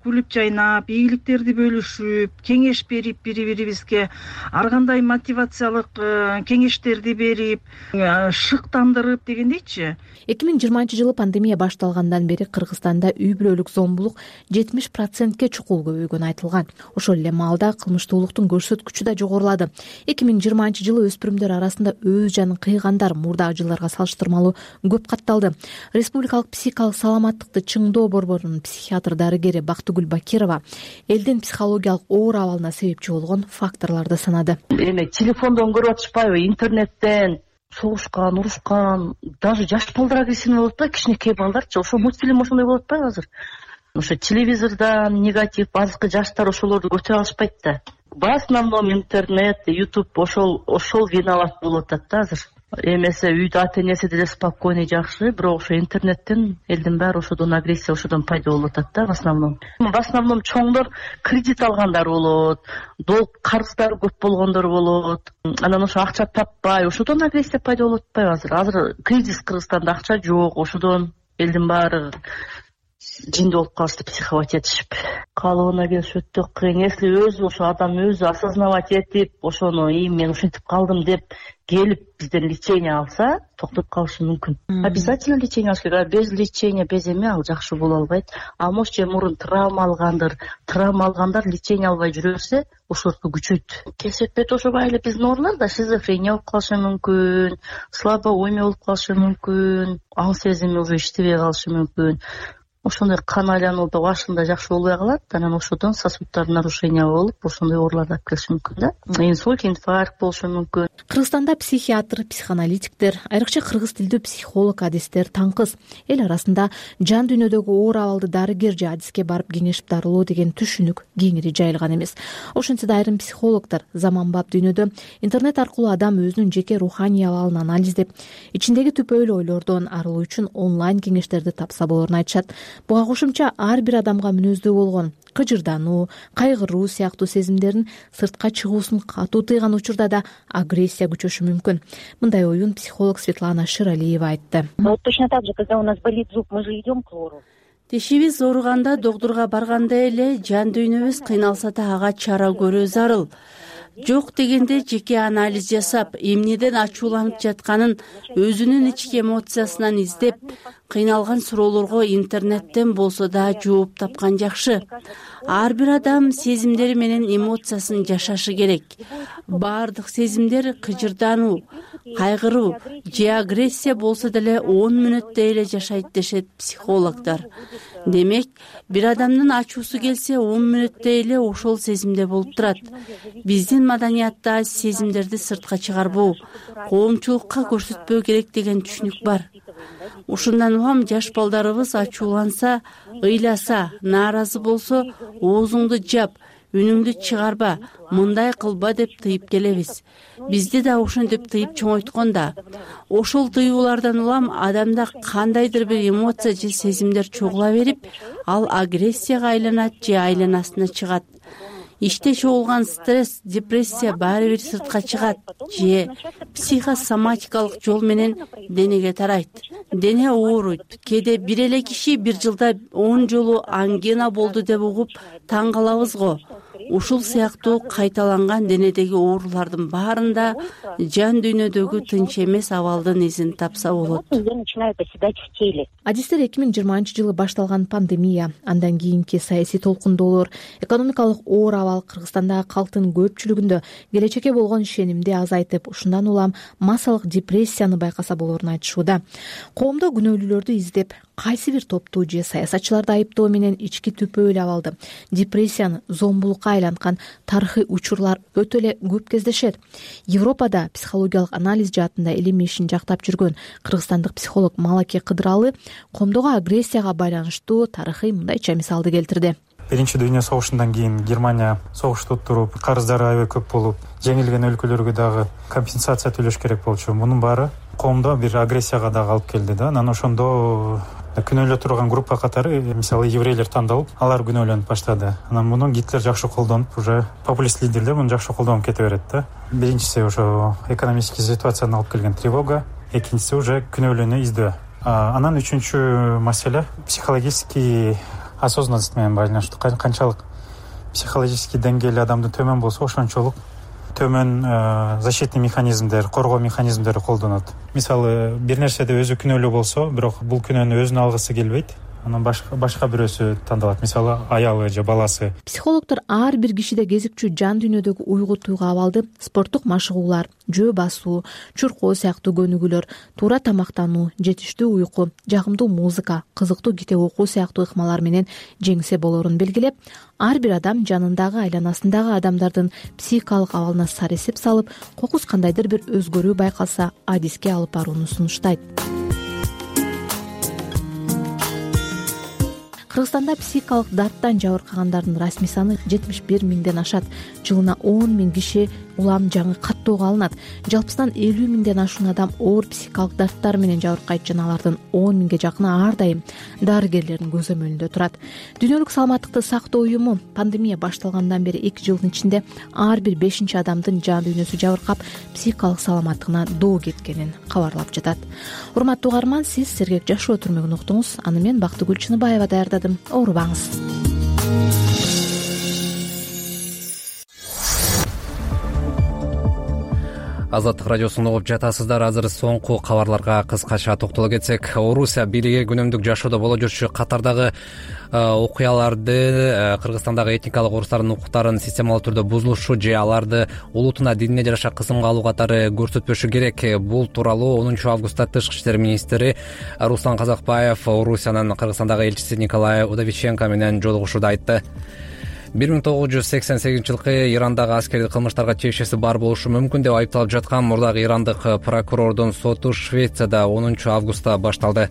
Speaker 10: Күлүп жайнап, ийгиликтерди бөлүшүп, кеңеш берип бири-бирибизге, ар кандай мотивациялык кеңештерди берип, шыктандырып дегендейчи.
Speaker 2: 2020-жылы пандемия башталгандан бери Кыргызстанда үй бүлөлүк зомбулук 70%ке чукул көбөйгөнү айтылган. Ошол эле маалда кылмыштуулуктун көрсөткүчү да жогорулады. 2020-жылы өспүрүмдөр арасында өз жанын кыйгандар мурдагы жылдарга салыштырмалуу көп катталды. Республикалык психикалык саламаттыкты чыңдоо борборунун психиатр дарыгери Бактыгүл Бакирова элдин психологиялык оор абалына себепчи болгон факторлорду санады.
Speaker 6: Эми телефондон көрүп атышпайбы, интернеттен согушкан, урушкан, даже жаш балдар агрессивный болуп атпайбы, кичинекей балдарчы. Ошо мультфильм ошондой болуп атпайбы азыр? Ошо телевизордон негатив, азыркы жаштар ошолорду көтөрө алышпайт да. В основном интернет, YouTube ошол виноват болуп атат да азыр. Эмесе үйдө ата-энеси деле спокойный, жакшы, бирок ошо интернеттен элдин баары ошодон агрессия, ошодон пайда болуп атат да в основном. В основном чоңдор кредит алгандар болот, долг карыздар көп болгондор болот. Анан ошо акча таппай, ошодон агрессия пайда болуп атпайбы азыр? Азыр кризис, Кыргызстанда акча жок, ошодон элдин баары жинди болуп калышты, психовать этишип. Калыбына келиш өтө кыйын. Если өзү ошо адам өзү осознавать этип, ошону мен ушинтип калдым деп келип бизден лечение алса, токтоп калышы мүмкүн. Обязательно лечение алыш керек. Без лечения, без эме ал жакшы боло албайт. А может же мурун травма алгандар лечение албай жүрө берсе, ошолорду күчөйт. Кесепет ошобай эле биздин оорулар да шизофрения болуп калышы мүмкүн, слабоумие болуп калышы мүмкүн, аң сезими уже иштебей калышы мүмкүн. Ошондой кан айланууда башында жакшы болбой калат, анан ошодон сосудтар нарушение болуп, ошондой оорулар алып келиши мүмкүн да. Инсульт, инфаркт болушу мүмкүн.
Speaker 2: Кыргызстанда психиатр, психоаналитиктер, айрыкча кыргыз тилдүү психолог, адистер таңкыз. Эл арасында жан дүйнөдөгү оор абалды дарыгер же адиске барып кеңешип дарылоо деген түшүнүк кеңири жайылган эмес. Ошентсе да айрым психологдор заманбап дүйнөдө интернет аркылуу адам өзүнүн жеке руханий абалын анализдеп, ичиндеги түпөйлүү ойлордон арылуу үчүн онлайн кеңештерди тапса болорун айтышат. Буга кошумча ар бир адамга мүнөздүү болгон кыжырдануу, кайгыруу сыяктуу сезимдерин сыртка чыгуусун катуу тыйган учурда да агрессия күчөшү мүмкүн. Мындай оюн психолог Светлана Ширалиева айтты.
Speaker 12: Точно так же, когда у нас болит зуб, мы же идем к лору.
Speaker 23: Тишибиз ооруганда доктурга барганда эле жан дүйнөбүз кыйналса да ага чара көрүү зарыл. Жок дегенде жеке анализ жасап, эмнеден ачууланып жатканын өзүнүн ички эмоциясынан издеп, кыйналган суроолорго интернеттен болсо да жооп тапкан жакшы. Ар бир адам сезимдери менен эмоциясын жашашы керек. Баардык сезимдер кыжырдануу, кайгыруу же агрессия болсо деле 10 мүнөттө эле жашайт дешет психологдор. Демек, бир адамдын ачуусу келсе 10 мүнөттө эле ошол сезимде болуп турат. Биздин маданиятта сезимдерди сыртка чыгарбоо, коомчулукка көрсөтпөө керек деген түшүнүк бар. Ушундан улам жаш балдарыбыз ачууланса, ыйласа, нааразы болсо, оозуңду жап, үнүңдү чыгарба, мындай кылба деп тыйып келебиз. Бизди да ошентип тыйып чоңойткон да. Ошол тыюулардан улам адамда кандайдыр бир эмоция же сезимдер чогула берип, ал агрессияга айланат же айланасына чыгат. иште чогулган стресс, депрессия баары бир сыртка чыгат же психосоматикалык жол менен денеге тарайт. Дене ооруйт. Кээде бир эле киши бир жылда 10 жолу ангина болду деп угуп таң калабыз го. Ушул сыяктуу кайталанган денедеги оорулардын баарында жан дүйнөдөгү тынч эмес абалдын изин тапса болот.
Speaker 2: Адистер 2020-жылы башталган пандемия, андан кийинки саясий толкундоолор, экономикалык оор абал Кыргызстандагы калктын көпчүлүгүндө келечекке болгон ишенимди азайтып, ушундан улам массалык депрессияны байкаса болорун айтышууда. Коомдо күнөөлүүлөрдү издеп, кайсы бир топту же саясатчыларды айыптоо менен ички түпөөл абалды, депрессияны зомбулукка айланткан тарыхый учурлар өтө эле көп кездешет. Европада психологиялык анализ жаатында илим ишин жактап жүргөн кыргызстандык психолог Малаке Кыдыралы коомдогу агрессияга байланыштуу тарыхый мындайча мисалды келтирди.
Speaker 3: Биринчи дүйнө согушундан кийин Германия согушту туруп, карыздары аябай көп болуп, жеңилген өлкөлөргө дагы компенсация төлөш керек болчу. Мунун баары коомдо бир агрессияга дагы алып келди да. Анан ошондо күнөөлө турган группа катары, мисалы еврейлер тандалып, алар күнөөлөнүп баштады. Анан муну Гитлер жакшы колдонуп, уже популист лидерлер муну жакшы колдонуп кете берет да. Биринчиси ошо экономический ситуацияны алып келген тревога, экинчиси уже күнөөлүүнү издөө. Анан үчүнчү маселе психологический осознанность менен байланыштуу. Канчалык психологический деңгээли адамдын төмөн болсо, ошончолук төмөн защитный механизмдер, коргоо механизмдери колдонот. Мисалы, бир нерседе өзү күнөөлүү болсо, бирок бул күнөөнү өзүнө алгысы келбейт, анан башка бирөөсү тандалат. Мисалы, аялы же баласы.
Speaker 2: Психологдор ар бир кишиде кезикчү жан дүйнөдөгү уйгу туйгу абалды спорттук машыгуулар, жөө басуу, чуркоо сыяктуу көнүгүүлөр, туура тамактануу, жетиштүү уйку, жагымдуу музыка, кызыктуу китеп окуу сыяктуу ыкмалар менен жеңсе болорун белгилеп, ар бир адам жанындагы, айланасындагы адамдардын психикалык абалына саресип салып, кокус кандайдыр бир өзгөрүү байкалса, адиске алып барууну сунуштайт. Кыргызстанда психикалык дарттан жабыркагандардын расмий саны 71 миңден ашат. Жылына 10 миң киши улам жаңы каттоого алынат. Жалпысынан 50 миңден ашуун адам оор психикалык дарттар менен жабыркайт жана алардын 10 миңге жакыны ар дайым дарыгерлердин көзөмөлүндө турат. Дүйнөлүк саламаттыкты сактоо уюму пандемия башталгандан бери 2 жылдын ичинде ар бир 5-чи адамдын жан дүйнөсү жабыркап, психикалык саламаттыгына доо кеткенин кабарлап жатат. Урматтуу угарман, сиз Сергек Жашоо түрмөгүн уктуңуз. Аны мен Бактыгүл Чыныбаева даярдадым. Оорубаңыз.
Speaker 1: Азаттык радиосун угуп жатасыздар. Азыр соңку кабарларга кыскача токтоло кетсек, Орусия бийлиги күнүмдүк жашоодо боло жүрчү катардагы окуяларды, Кыргызстандагы этникалык орустардын укуктарын системалуу түрдө бузулушу же аларды улутуна, динине жараша кысымга алуу катары көрсөтпөшү керек. Бул тууралуу 10 августта Тышкы иштер министри Руслан Казакбаев Орусиянын Кыргызстандагы элчиси Николай Удовиченко менен жолугушууда айтты. 1988-жылкы Ирандагы аскердик кылмыштарга тиешеси бар болушу мүмкүн деп айыпталып жаткан мурдагы ирандык прокурордун соту Швецияда 10 августта башталды.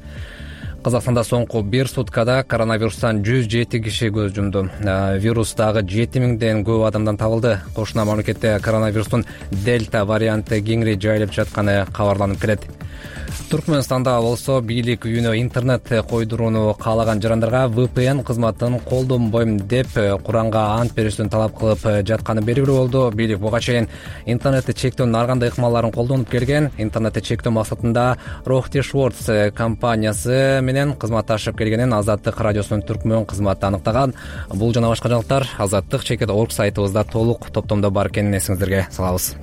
Speaker 1: Казакстанда соңку бир суткада коронавирустан 107 киши көз жумду. Вирус дагы 7000ден көп адамдан табылды. Кошуна мамлекетте коронавирустун дельта варианты кеңири жайылып жатканы кабарланып келет. Түркмөнстанда болсо бийлик үйүнө интернет койдурууну каалаган жарандарга VPN кызматын колдонбойм деп Куранга ант беришин талап кылып жатканы белгилүү болду. Бийлик буга чейин интернетти чектөөнүн ар кандай ыкмаларын колдонуп келген. Интернетти чектөө максатында Рохти Шворц компаниясы менен кызматташып келгенин Азаттык радиосунун түркмөн кызматы аныктаган. Бул жана башка жаңылыктар azattik.org сайтыбызда толук топтомдо бар экенин эсиңиздерге салабыз.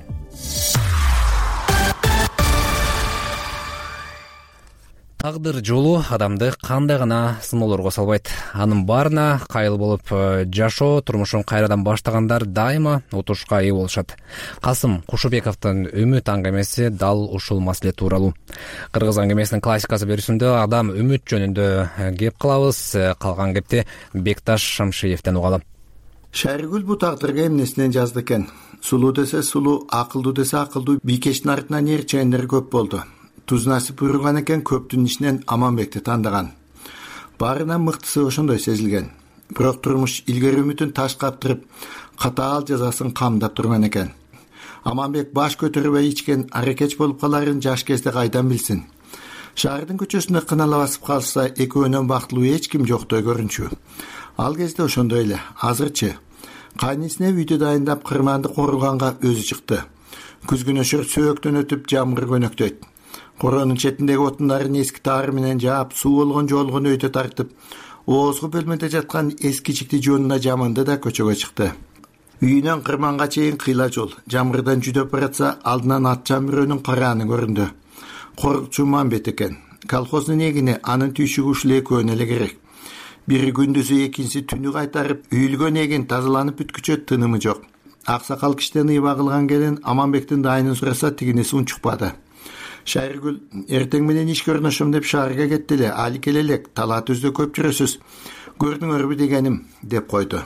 Speaker 1: Тагдыр жолу адамды кандай гана сыноолорго салбайт. Анын баарына кайыл болуп жашоо, турмушун кайрадан баштагандар дайыма утушка ээ болушат. Касым Кушубековдун үмүт аңгемеси дал ушул маселе тууралуу. Кыргыз аңгемесинин классикасы берүүсүндө адам үмүт жөнүндө кеп кылабыз. Калган кепти Бекташ Шамшиевден угалы.
Speaker 8: Шайргүл бу тагдырга эмнесинен жазды экен. Сулуу десе сулуу, акылдуу десе акылдуу, бийкештин артынан ээрчендер көп болду. Туз насип буйруган экен, көптүн ичинен Аманбекти тандаган. Баарынан мыктысы ошондой сезилген. Бирок турмуш илгери үмүтүн таш каптырып, катаал жазасын камдап турган экен. Аманбек баш көтөрбөй ичкен аракеч болуп каларын жаш кезде кайдан билсин? Шаардын көчөсүндө кынала басып калса, экөөнөн бактылуу эч ким жоктой көрүнчү. Ал кезде ошондой эле. Азырчы кайнисине үйдү дайындап кырманды куруганга өзү чыкты. Күзгүнөшөр сөөктөн өтүп жамгыр көнөктөйт. Коронун четиндеги отундарын эски таар менен жаап, суу болгон жолгон өйдө тартып, оозгу бөлмөдө жаткан эскичикти жонуна жаманды да көчөгө чыкты. Үйүнөн кырманга чейин кыйла жол. Жамгырдан жүдөп баратса, алдынан ат жамбырөөнүн карааны көрүндү. Корукчу Мамбет экен. Колхоздун эгини, анын түйшүгү ушул экөөнө эле керек. Бири күндүзү, экинчиси түнү кайтарып, үйүлгөн эгин тазаланып бүткүчө тынымы жок. Аксакал киштен ыйба кылган келин Аманбектин дайынын сураса, тигинеси унчукпады. Шайыргүл, эртең менен ишке орношом деп шаарга кетти эле, али келе элек, талаат өздө көп жүрөсүз. Көрдүңөрбү дегеним, деп койду.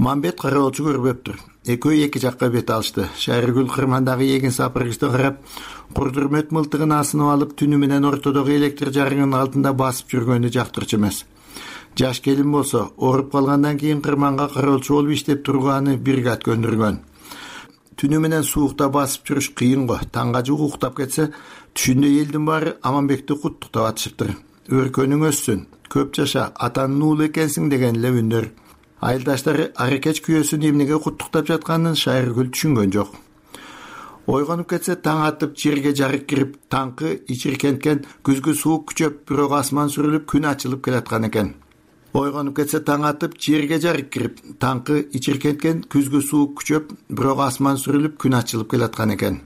Speaker 8: Мамбет кароолчу көрбөптүр. Экөө эки жакка бет алышты. Шайыргүл кырмандагы эгин сапыргычты карап, курдурмөт мылтыгын асынып алып, түнү менен ортодогу электр жарыгынын алдында басып жүргөнү жактырчу эмес. Жаш келин болсо, ооруп калгандан кийин кырманга кароолчу болуп иштеп тургааны бригад көндүргөн. Түнү менен суукта басып жүрүш кыйын го. Таңга жук уктап кетсе, түшүндө элдин баары Аманбекти куттуктап атышыптыр. Өркөнүң өссүн, көп жаша, атанын уулу экенсиң деген эле үндөр. Айылдаштары аракеч күйөөсүн эмнеге куттуктап жатканын Шайыргүл түшүнгөн жок. Ойгонуп кетсе, таң атып, жерге жарык кирип, таңкы ичиркенткен, күзгү суук күчөп, бирок асман сүрүлүп, күн ачылып келаткан экен. Ойгонуп кетсе, таң атып, жерге жарык кирип, таңкы ичиркенткен, күзгү суук күчөп, бирок асман сүрүлүп, күн ачылып келаткан экен.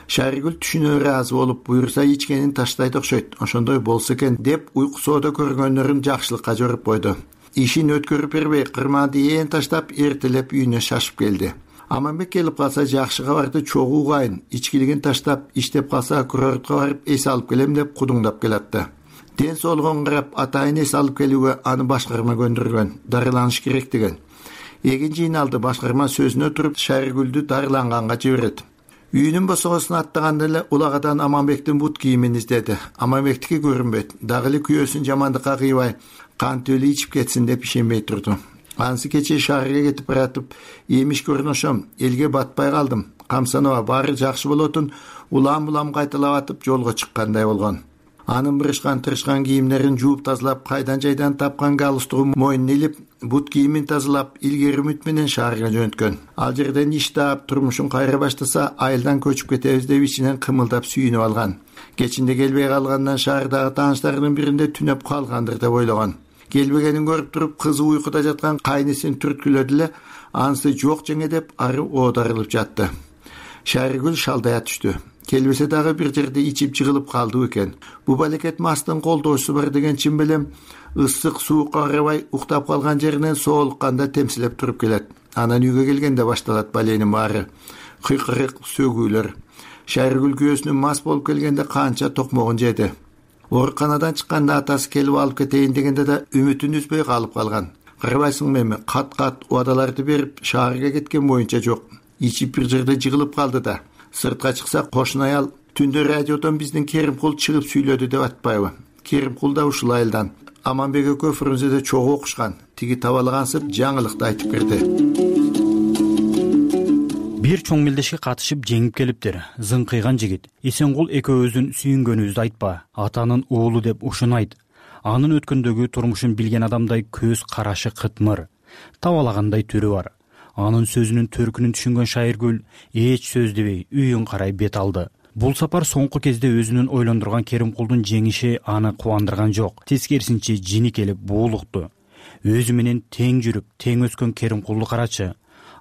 Speaker 8: Шайыргүл түшүнө ыраазы болуп, буюрса ичкенин таштайт окшойт, ошондой болсо экен деп, уйку соодо көргөндөрүн жакшылыкка жоруп койду. Ишин өткөрүп бербей, кырманды ээн таштап, эртелеп үйүнө шашып келди. Аманбек келип калса, жакшы кабарды чогуу угайын, ичкилигин таштап, иштеп калса, курортко барып эс алып келем деп кудуңдап келатты. Ден соолугун карап, атайын эс алып келүүгө аны башкарма көндүргөн, дарыланыш керек деген. Эгин жыйналды, башкарма сөзүнө туруп, Шайыргүлдү дарыланганга жиберет. Үйүнүн босогосун аттаганда эле улагадан Аманбектин бут кийимин издеди. Аманбектики көрүнбөйт. Дагы эле күйөөсүн жамандыкка кыйбай, кантип эле ичип кетсин деп ишенбей турду. Анысы кечээ шаарга кетип баратып, эмишке орношом, элге батпай калдым. Камсанова, баары жакшы болотун, улам-улам кайталап атып жолго чыккандай болгон. Анын бырышкан-тырышкан кийимдерин жууп тазалап, кайдан-жайдан тапкан галстугун мойнуна илип, бут кийимин тазалап, илгери үмүт менен шаарга жөнөткөн. Ал жерден иш таап, турмушун кайра баштаса, айылдан көчүп кетебиз деп ичинен кымылдап сүйүнүп алган. Кечинде келбей калгандан шаардагы тааныштарынын биринде түнөп калгандыр деп ойлогон. Келбегенин көрүп туруп, кызы уйкуда жаткан кайнысын түрткүлөдү эле, анысы жок жеңе деп ары оодарылып жатты. Шайыргүл шалдая түштү. Келбесе дагы бир жерде ичип жыгылып калды экен. Бу балекет мастын колдоочусу бар деген чын белем, ысык суукка карабай уктап калган жеринен соолукканда темсилеп туруп келет. Анан үйгө келгенде башталат баленин баары. Кыйкырык, сөгүүлөр. Шайыргүл күйөөсүнүн мас болуп келгенде канча токмогун жеди. Ооруканадан чыкканда атасы келип алып кетейин дегенде да үмүтүн үзбөй калып калган. Карабайсыңбы эми, кат-кат убадаларды берип, шаарга кеткен боюнча жок. Ичип бир жерде жыгылып калды да. Сыртка чыкса, кошун аял түндө радиодон биздин Керимкул чыгып сүйлөдү деп атпайбы? Керимкул да ушул айылдан. Аманбек экөө Фрунзеде чогуу окушкан. Тиги табалагансып жаңылыкты айтып берди.
Speaker 13: Бир чоң мелдешке катышып жеңип келиптир. Зыңкыйган жигит. Эсенгул экөөбүздүн сүйүнгөнүбүздү айтпа. Атанын уулу деп ушуну айт. Анын өткөндөгү турмушун билген адамдай көз карашы кытмыр. Табалагандай түрү бар. Анын сөзүнүн төркүнүн түшүнгөн Шайыргүл эч сөз дебей үйүн карай бет алды. Бул сапар соңку кезде өзүнүн ойлондурган Керимкулдун жеңиши аны кубандырган жок. Тескерисинче жини келип буулукту. Өзү менен тең жүрүп, тең өскөн Керимкулду карачы.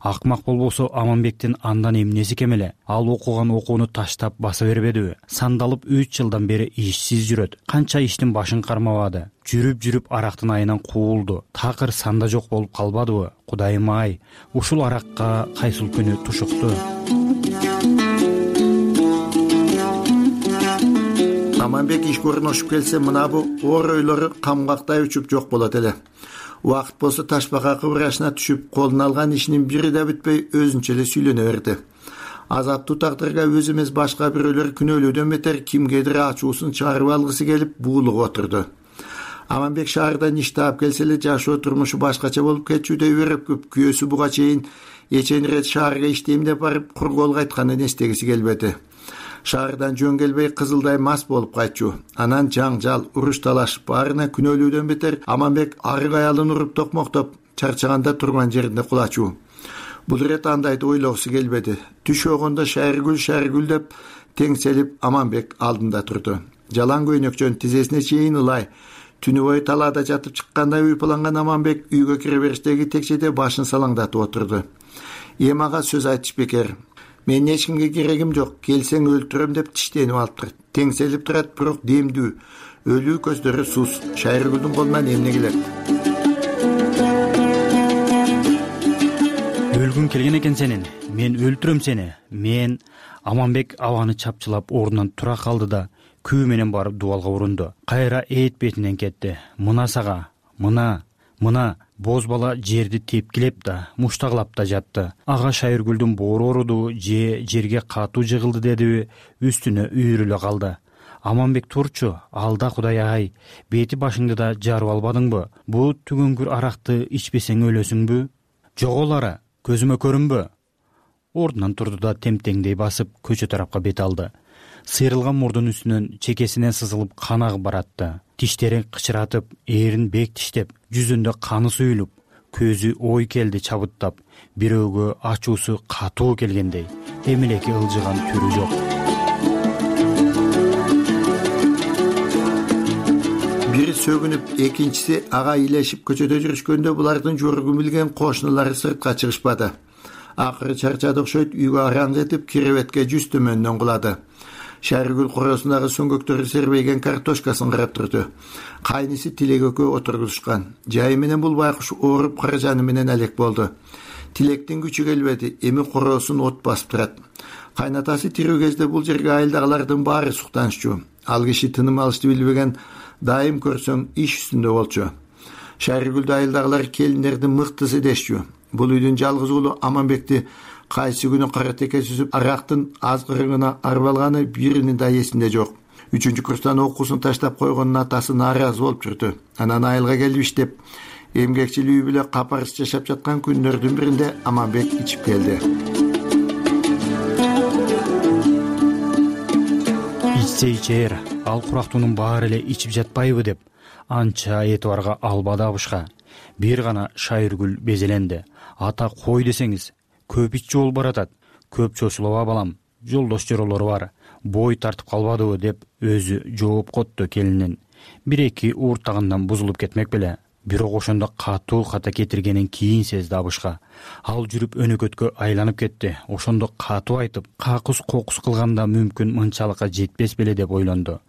Speaker 13: Акмак болбосо Аманбектин андан эмнеси кем эле? Ал окуган окууну таштап баса бербедиби? Сандалып 3 жылдан бери ишсиз жүрөт. Канча иштин башын кармабады. Жүрүп арактын айынан куулду. Такыр санда жок болуп калбадыбы? Кудайым ай, ушул аракка кайсыл күнү тушукту.
Speaker 8: Аманбек ишке орношуп келсе, мына бу оор ойлору камгактай учуп жок болот эле. Убакыт болсо ташбака кыбырашына түшүп, колуна алган ишинин бири да бүтпөй өзүнчө эле сүйлөнө берди. Азаптуу тагдырга өз эмес башка бирөөлөр күнөөлөөдөн бетер кимгедир ачуусун чыгарып алгысы келип буулугуп отурду. Аманбек шаардан иш таап келсе эле жашоо турмушу башкача болуп кетчүдөй өрөпкүп, күйөөсү буга чейин эчен ирет шаарга иштейм деп барып кур кол кайтканын эстегиси келбеди. Шаардан жөн келбей кызылдай мас болуп кайтчу. Анан жаңжал, уруш талаш баарына күнөөлүүдөн бетер Аманбек арык аялын уруп токмоктоп, чарчаганда турган жеринде кулачу. бул ирет андайды ойлогусу келбеди. Түш огондо Шайыргүл деп теңселип Аманбек алдында турду. Жалаң көйнөкчөн тизесине чейин ылай түнү бою талаада жатып чыккандай уйпаланган Аманбек үйгө кире бериштеги текчеде башын салаңдатып отурду. Ага сөз айтыш бекер. Мен эч кимге керегим жок, келсең өлтүрөм деп тиштенип алыптыр. Теңселип турат, бирок демдүү. Өлүү көздөрү сус. Шайыргүлдүн колунан эмне келет?
Speaker 13: Өлгүң келген экен сенин. Мен өлтүрөм сени. Мен Аманбек абаны чапчылап ордунан тура калды да күү менен барып дубалга урунду. Кайра эт бетинен кетти. Мына сага, мына боз бала жерди тепкилеп да, муштаглап да жатты. Ага Шайыргүлдүн боору ооруду же жерге катуу жыгылды дедиби, үстүнө үйрүлө калды. Аманбек турчу, алда Кудай ай, бети башыңды да жарып албадыңбы? Бул түгөнгүр аракты ичпесең өлөсүңбү? Жоголара, көзүмө көрүнбө. Ордунан турду да темтеңдей басып көчө тарапка бет алды. Сыйрылган мурдун үстүнөн чекесинен сызылып кан агып баратты. Тиштерин кычыратып, эрин бек тиштеп, жүзүндө каны суюлуп, көзү ой келди чабыттап, бирөөгө ачуусу катуу келгендей. Эмелеки ылжыган түрү жок.
Speaker 8: Бири сөгүнүп, экинчиси ага илешип көчөдө жүрүшкөндө булардын жоргун билген кошуналары сыртка чыгышпады. Акыры чарчады окшойт, үйгө араң жетип, киребетке жүз төмөндөн кулады. Шайыргүл коросундагы сөңгөктөрү сербейген картошкасын карап турду. Кайниси Тилек экөө отургузушкан. Жайы менен бул байкуш ооруп каражаны менен алек болду. Тилектин күчү келбеди, эми коросун от басып турат. Кайнатасы тирүү кезде бул жерге айылдагылардын баары суктанышчу. Ал киши тыным алышты билбеген, дайым көрсөң иш үстүндө болчу. Шайыргүлдү айылдагылар келиндердин мыктысы дешчү. Бул үйдүн жалгыз уулу Аманбекти кайсы күнү кара теке сүзүп арактын азгырыгына арбалганы биринин да эсинде жок. 3-курстан окуусун таштап койгонун атасы нааразы болуп жүрдү. Анан айылга келип иштеп, эмгекчил үй бүлө капарыс жашап жаткан күндөрдүн биринде Аманбек ичип келди.
Speaker 13: Ичсе ичер, ал курактуунун баары эле ичип жатпайбы деп анча этибарга албады абышка. Бир гана Шайыргүл безеленди. Ата кой десеңиз, көп иччи болуп баратат. Көп чочулаба балам, жолдош жоролору бар. Бой тартып калбадыбы деп өзү жооп котту келинин. Бир-эки ууртагындан бузулуп кетмек беле. Бирок ошондо катуу ката кетиргенин кийин сезди абышка. Ал жүрүп өнөкөткө айланып кетти. Ошондо катуу айтып, какус-кокус кылганда мүмкүн мынчалыкка жетпес беле деп ойлонду.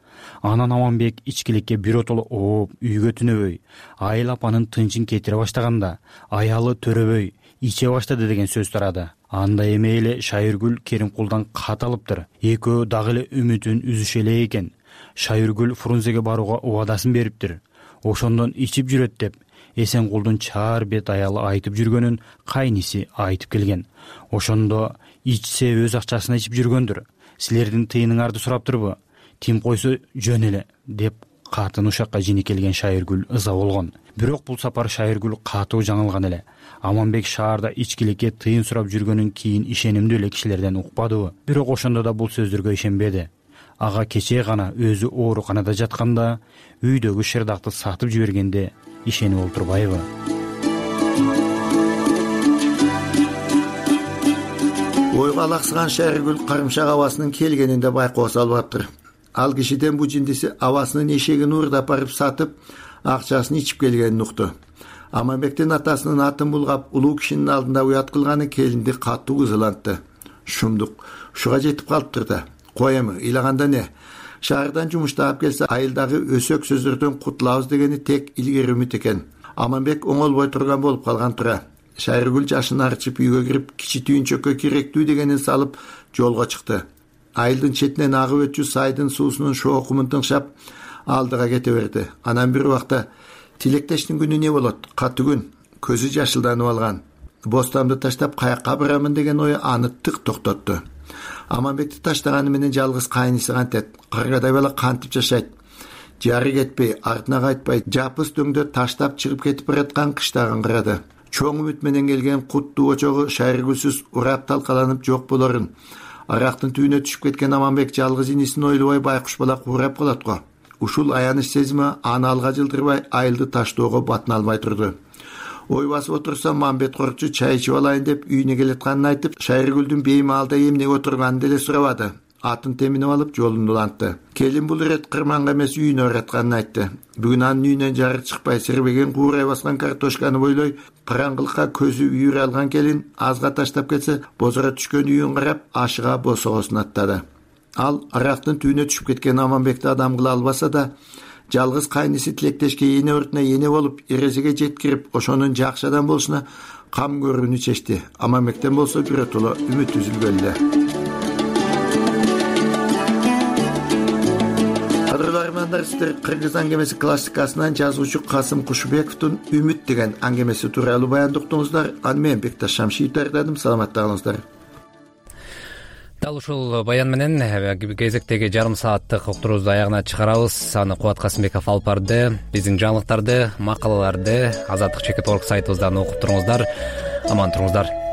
Speaker 13: Анан Аманбек ичкиликке биротоло ооп, үйгө түнөбөй, айыл апанын тынчын кетире баштаганда, аялы төрөбөй, иче баштады деген сөз тарады. Анда эме эле Шайыргүл Керимкулдан кат алыптыр. Экөө дагы эле үмүтүн үзүшө элек экен. Шайыргүл Фрунзеге барууга убадасын бериптир. Ошондон ичип жүрөт деп Эсенкулдун чаар бет аялы айтып жүргөнүн кайниси айтып келген. Ошондо ичсе өз акчасына ичип жүргөндүр. Силердин тыйыныңарды сураптырбы? Тим койсо жөн эле деп катын ушакка жини келген Шайыргүл ыза болгон. Бирок бул сапар Шайыргүл катуу жаңылган эле. Аманбек шаарда ичкиликке тыйын сурап жүргөнүн кийин ишенимдүү эле кишилерден укпадыбы? Бирок ошондо да бул сөздөргө ишенбеди. Ага кечээ гана өзү ооруканада жатканда, үйдөгү шырдакты сатып жибергенде ишенип олтурбайбы?
Speaker 8: Ойго алаксыган Шайыргүл карымшак абасынын келгенин да байкоо салбаптыр. Ал кишиден бу жиндиси абасынын эшегин уурдап барып сатып, акчасын ичип келгенин укту. Аманбектин атасынын атын булгап, улуу кишинин алдында уят кылганы келинди катуу кызылантты. Шумдук ушуга жетип калыптыр да. Коемы, ыйлаганда не? Шаардан жумуштап келсе, айылдагы өсөк сөздөрдөн кутулабыз дегени тек илгери үмүт экен. Аманбек оңолбой турган болуп калган тура. Шайыргүл жашын арчып үйгө кирип, кичи түйүнчөккө керектүү дегенин салып жолго чыкты. Айылдын четинен агып өтчү сайдын суусунун шоокумун тыңшап алдыга кете берди. Анан бир убакта тилектештин күнү не болот? Катуу күн. Көзү жашылданып алган. Бостамды таштап каякка барамын деген ою аны тык токтотту. Аманбекти таштаганы менен жалгыз кайниси кантет. Каргадай бала кантип жашайт? Жары кетпей, артына кайтпай, жапыс дөңдө таштап чыгып кетип бараткан кыштагын карады. Чоң үмүт менен келген куттуу очогу Шайыргүлсүз урап талкаланып жок болорун. Арактын түбүнө түшүп кеткен Аманбек жалгыз инисин ойлобой байкуш бала куурап калат го. Ушул аяныч сезими аны алга жылдырбай айылды таштоого батына албай турду. ой басып отурса Мамбет Коркчу чай ичип алайын деп үйүнө келатканын айтып, Шайыргүлдүн бейми алда эмне отурганын деле сурабады. Атын теминип алып жолун улантты. Келин бул ирет кырманга эмес үйүнө баратканын айтты. Бүгүн анын үйүнөн жарык чыкпай сирбеген куурай баскан картошканы бойлой караңгылыкка көзү үйүрө алган келин азга таштап кетсе, бозора түшкөн үйүн карап ашыга босогосун аттады. Ал арактын түбүнө түшүп кеткен Аманбекти адам кыла албаса да, жалгыз кайниси Тилектешке эне өртүнө эне болуп, эрезеге жеткирип, ошонун жакшы адам болушуна кам көрүүнү чечти. Аманбектен болсо биротоло үмүт үзүлгөн эле. Сиздер Кыргыз аңгемеси классикасынан жазуучу Касым Кушубековдун Үмүт деген аңгемеси тууралуу баян уктуңуздар. Аны мен Бекташ Шамшиев даярдадым. Саламатта калыңыздар.
Speaker 1: Дал ушул баян менен кезектеги жарым сааттык уктуруубузду аягына чыгарабыз. Аны Кубат Касымбеков алып барды. Биздин жаңылыктарды, макалаларды Азаттык.org сайтыбыздан окуп туруңуздар. Аман туруңуздар.